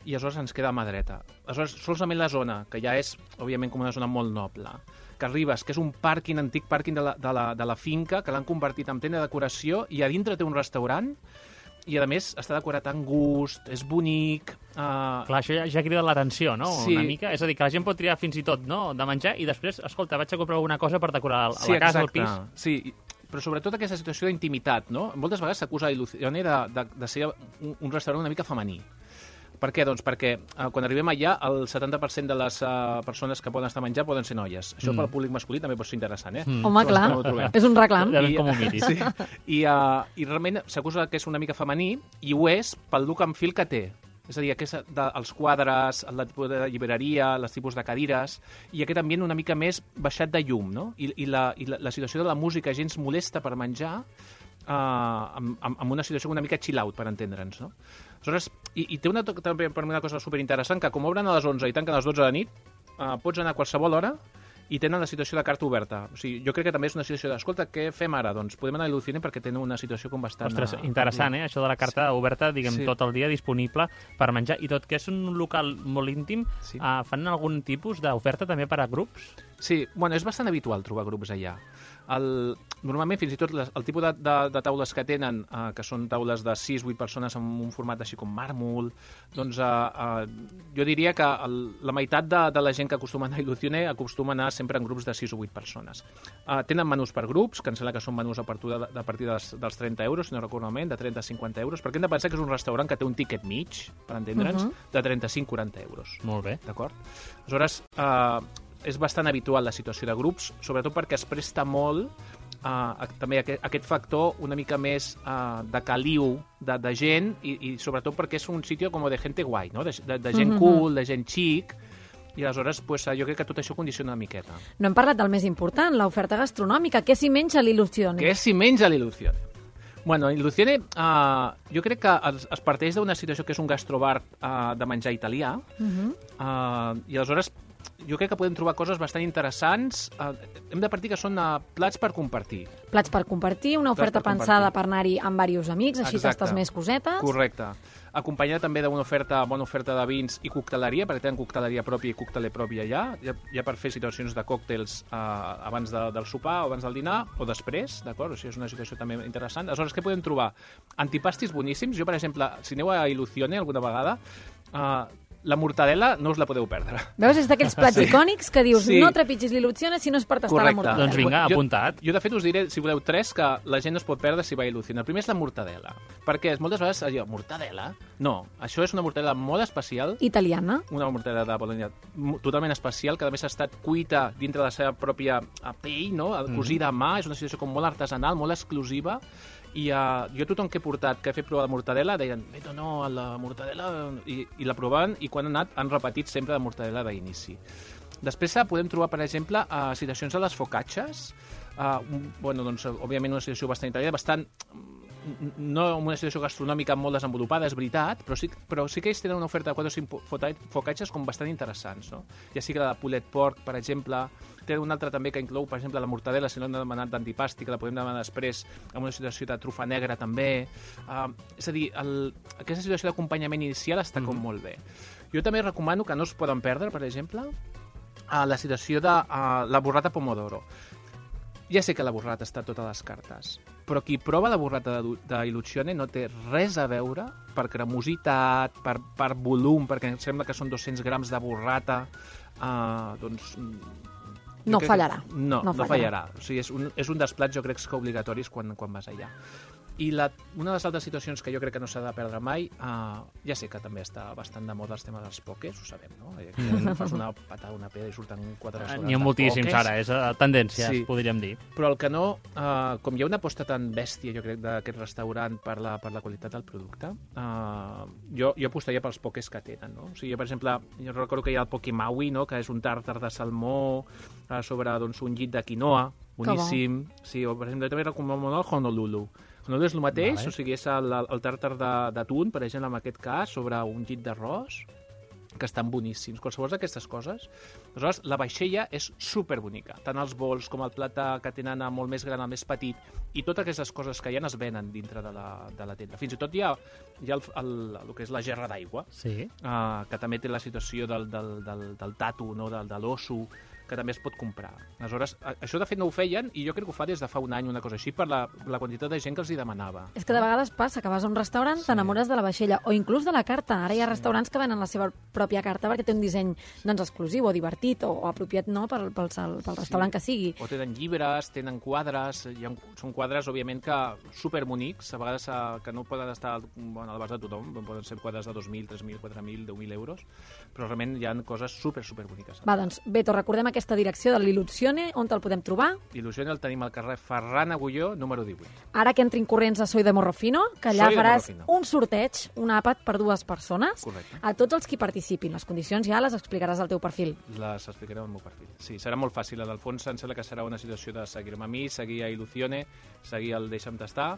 i aleshores ens queda a mà dreta. Aleshores, solament la zona, que ja és, òbviament, com una zona molt noble, que arribes, que és un pàrquing, antic pàrquing de la finca, que l'han convertit en tenda de decoració, i a dintre té un restaurant, i a més està decorat amb gust, és bonic... Clar, això ja crida l'atenció, no? Sí. Una mica. És a dir, que la gent pot triar fins i tot, no?, de menjar, i després, escolta, vaig a comprar alguna cosa per decorar la casa, el pis. Sí, però sobretot aquesta situació d'intimitat, no? Moltes vegades s'acusa Ilusione de ser un restaurant una mica femení. Per què? Doncs perquè quan arribem allà el 70% de les persones que poden estar a menjar poden ser noies. Això pel públic masculí també pot ser interessant, Home, clar, és un reclam. Com ho miris. Sí. I realment s'acusa que és una mica femení i ho és pel look and feel que té. És a dir, els quadres, el tipus de llibreria, els tipus de cadires, i aquest ambient una mica més baixat de llum, no? I la situació de la música gens molesta per menjar, amb una situació una mica chill out, per entendre'ns, no? Aleshores, i té també per mi una cosa superinteressant, que com obren a les 11 i tanquen a les 12 de nit, pots anar a qualsevol hora i tenen la situació de carta oberta. O sigui, jo crec que també és una situació d'escolta, què fem ara? Doncs podem anar a l'Ilucine perquè tenen una situació com bastant... Ostres, interessant, això de la carta oberta, diguem, tot el dia disponible per menjar. I tot que és un local molt íntim, fan algun tipus d'oferta també per a grups? Sí, bueno, és bastant habitual trobar grups allà. Normalment, fins i tot, el tipus de taules que tenen, que són taules de 6-8 persones amb un format així com màrmol, doncs jo diria que la meitat de la gent que acostuma a anar a Ilusione acostuma a anar sempre en grups de 6 o 8 persones. Tenen menús per grups, que em sembla que són menús a partir dels 30 euros, si no recordo malament, de 30 a 50 euros, perquè hem de pensar que és un restaurant que té un tiquet mig, per entendre'ns, de 35-40 euros. Molt bé. D'acord? Aleshores, és bastant habitual la situació de grups, sobretot perquè es presta molt també aquest factor una mica més de caliu de gent i sobretot perquè és un sitio com de gente guai, no? de gent cool, de gent xic, i aleshores jo crec que tot això condiciona una miqueta. No hem parlat del més important, l'oferta gastronòmica. Què s'hi menja a l'Ilusione? Què s'hi menja a l'Ilusione? Bueno, l'Ilusione jo crec que es parteix d'una situació que és un gastrobar de menjar italià, i aleshores jo crec que podem trobar coses bastant interessants. Hem de partir que són plats per compartir. Plats per compartir, una oferta pensada per anar-hi amb diversos amics, així tastes més cosetes. Correcte. Acompanyada també d'una bona oferta de vins i cocteleria, perquè tenen cocteleria pròpia i cocteler propi allà, ja per fer situacions de còctels abans del sopar o abans del dinar, o després, d'acord? O sigui, és una situació també interessant. Aleshores, què podem trobar? Antipastis boníssims. Jo, per exemple, si aneu a Ilusione alguna vegada, la mortadela no us la podeu perdre. Veus, és d'aquells plats icònics que dius no trepitgis l'Ilusione si no és per tastar la mortadela. Doncs vinga, apuntat. Jo, de fet, us diré, si voleu, 3 que la gent no es pot perdre si va a Ilusione. El primer és la mortadela, perquè moltes vegades allò, mortadela? No, això és una mortadela molt especial. Italiana. Una mortadela de Bologna totalment especial, que a més ha estat cuita dintre de la seva pròpia pell, no? Cosida a mà, és una situació com molt artesanal, molt exclusiva. I jo tothom que he portat, que he fet provar de mortadela, deien, Beto, no, la mortadela... I la provaven, i quan han anat han repetit sempre la mortadela d'inici. Després podem trobar, per exemple, situacions de les focacces. Bueno, doncs, òbviament una situació bastant italiana, bastant... No una situació gastronòmica molt desenvolupada, és veritat, però sí que ells tenen una oferta de 4 o 5 focacces com bastant interessants, no? Ja sigui la de pulled pork, per exemple, té una altra també que inclou, per exemple, la mortadela, si no hem demanat d'antipasti, que la podem demanar després amb una situació de trufa negra també. És a dir, aquesta situació d'acompanyament inicial està com molt bé. Jo també recomano que no es poden perdre, per exemple, la situació de la burrata pomodoro. Ja sé que la burrata està a totes les cartes, però qui prova la burrata d'Ilusione no té res a veure per cremositat, per volum, perquè em sembla que són 200 grams de burrata, doncs... No fallarà. No fallarà. O sigui, és un dels plats, jo crec, que obligatoris quan vas allà. I una de les altres situacions que jo crec que no s'ha de perdre mai, ja sé que també està bastant de moda els temes dels pòquers, ho sabem, no? Aquí fas una patada, una peda i surten 4 restaurants. N'hi ha moltíssims ara, és tendència, podríem dir. Però el que no, com hi ha una aposta tan bèstia, jo crec, d'aquest restaurant per la qualitat del producte, jo apostaria pels pòquers que tenen, no? O sigui, per exemple, jo recordo que hi ha el Poke Maui, no?, que és un tàrtar de salmó sobre un llit de quinoa, boníssim. Sí, o per exemple, també recomano el Honolulu. Honolulu és el mateix, o sigui, és el tàrtar d'atún, per exemple, en aquest cas, sobre un llit d'arròs, que estan boníssims. Qualsevol d'aquestes coses. Aleshores, la vaixella és superbonica. Tant els bols com el plat que tenen molt més gran, el més petit, i totes aquestes coses que hi ha es venen dintre de la tenda. Fins i tot hi ha el que és la gerra d'aigua, que també té la situació del tatu, no? De l'osso, que també es pot comprar. Aleshores, això de fet no ho feien i jo crec que ho fa des de fa un any, una cosa així, per la quantitat de gent que els hi demanava. És que de vegades passa que vas a un restaurant, t'enamores de la vaixella o inclús de la carta. Ara hi ha restaurants que venen la seva pròpia carta perquè té un disseny exclusiu o divertit o apropiat pel restaurant que sigui. O tenen llibres, tenen quadres, són quadres, òbviament, que superbonics, a vegades que no poden estar a l'abast de tothom, poden ser quadres de 2.000, 3.000, 4.000, 10.000 euros, però realment hi ha coses superboniques. Va, doncs, Beto, recordem aquesta direcció de l'Illusione, on te'l podem trobar? L'Illusione el tenim al carrer Ferran Agulló, número 18. Ara que entrin corrents a Soy de Morrofino, que allà faràs un sorteig, un àpat per 2 persones, correcte, a tots els qui participin. Les condicions ja les explicaràs al teu perfil. Les explicaré al meu perfil. Sí, serà molt fàcil. A d'Alfons em sembla que serà una situació de seguir-me a mi, seguir a Illusione, seguir el Deixa'm tastar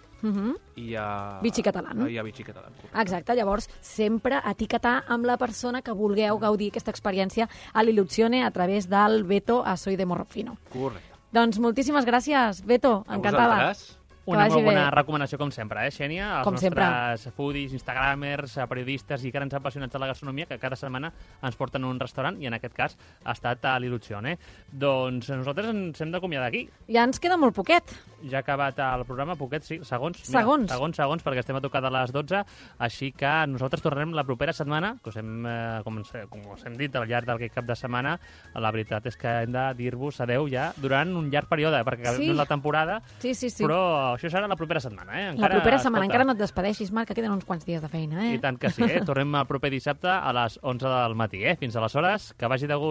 i a... Vichy Catalán. I a Vichy Catalán. Exacte, llavors sempre etiquetar amb la persona que vulgueu gaudir aquesta experiència a l'Illusione a través del Beto a Soy de Morrofino. Correcte. Doncs moltíssimes gràcies, Beto, encantada. A vosaltres. Una molt bona recomanació, com sempre, Xènia? Com sempre. Els nostres foodies, instagramers, periodistes i grans apassionats de la gastronomia que cada setmana ens porten a un restaurant i en aquest cas ha estat a l'Illusione. Doncs nosaltres ens hem d'acomiadar aquí. Ja ens queda molt poquet. Ja ha acabat el programa, poquet, sí, segons. Segons. Mira, segons, perquè estem a tocar de les 12, així que nosaltres tornarem la propera setmana, que com us hem dit al llarg d'aquest cap de setmana, la veritat és que hem de dir-vos adeu ja durant un llarg període, perquè acabem la temporada, sí. Però això serà la propera setmana, la propera setmana, encara no et despedeixis, Marc, que queden uns quants dies de feina, I tant que sí, Tornem el proper dissabte a les 11 del matí, Fins aleshores, que vagi de gust.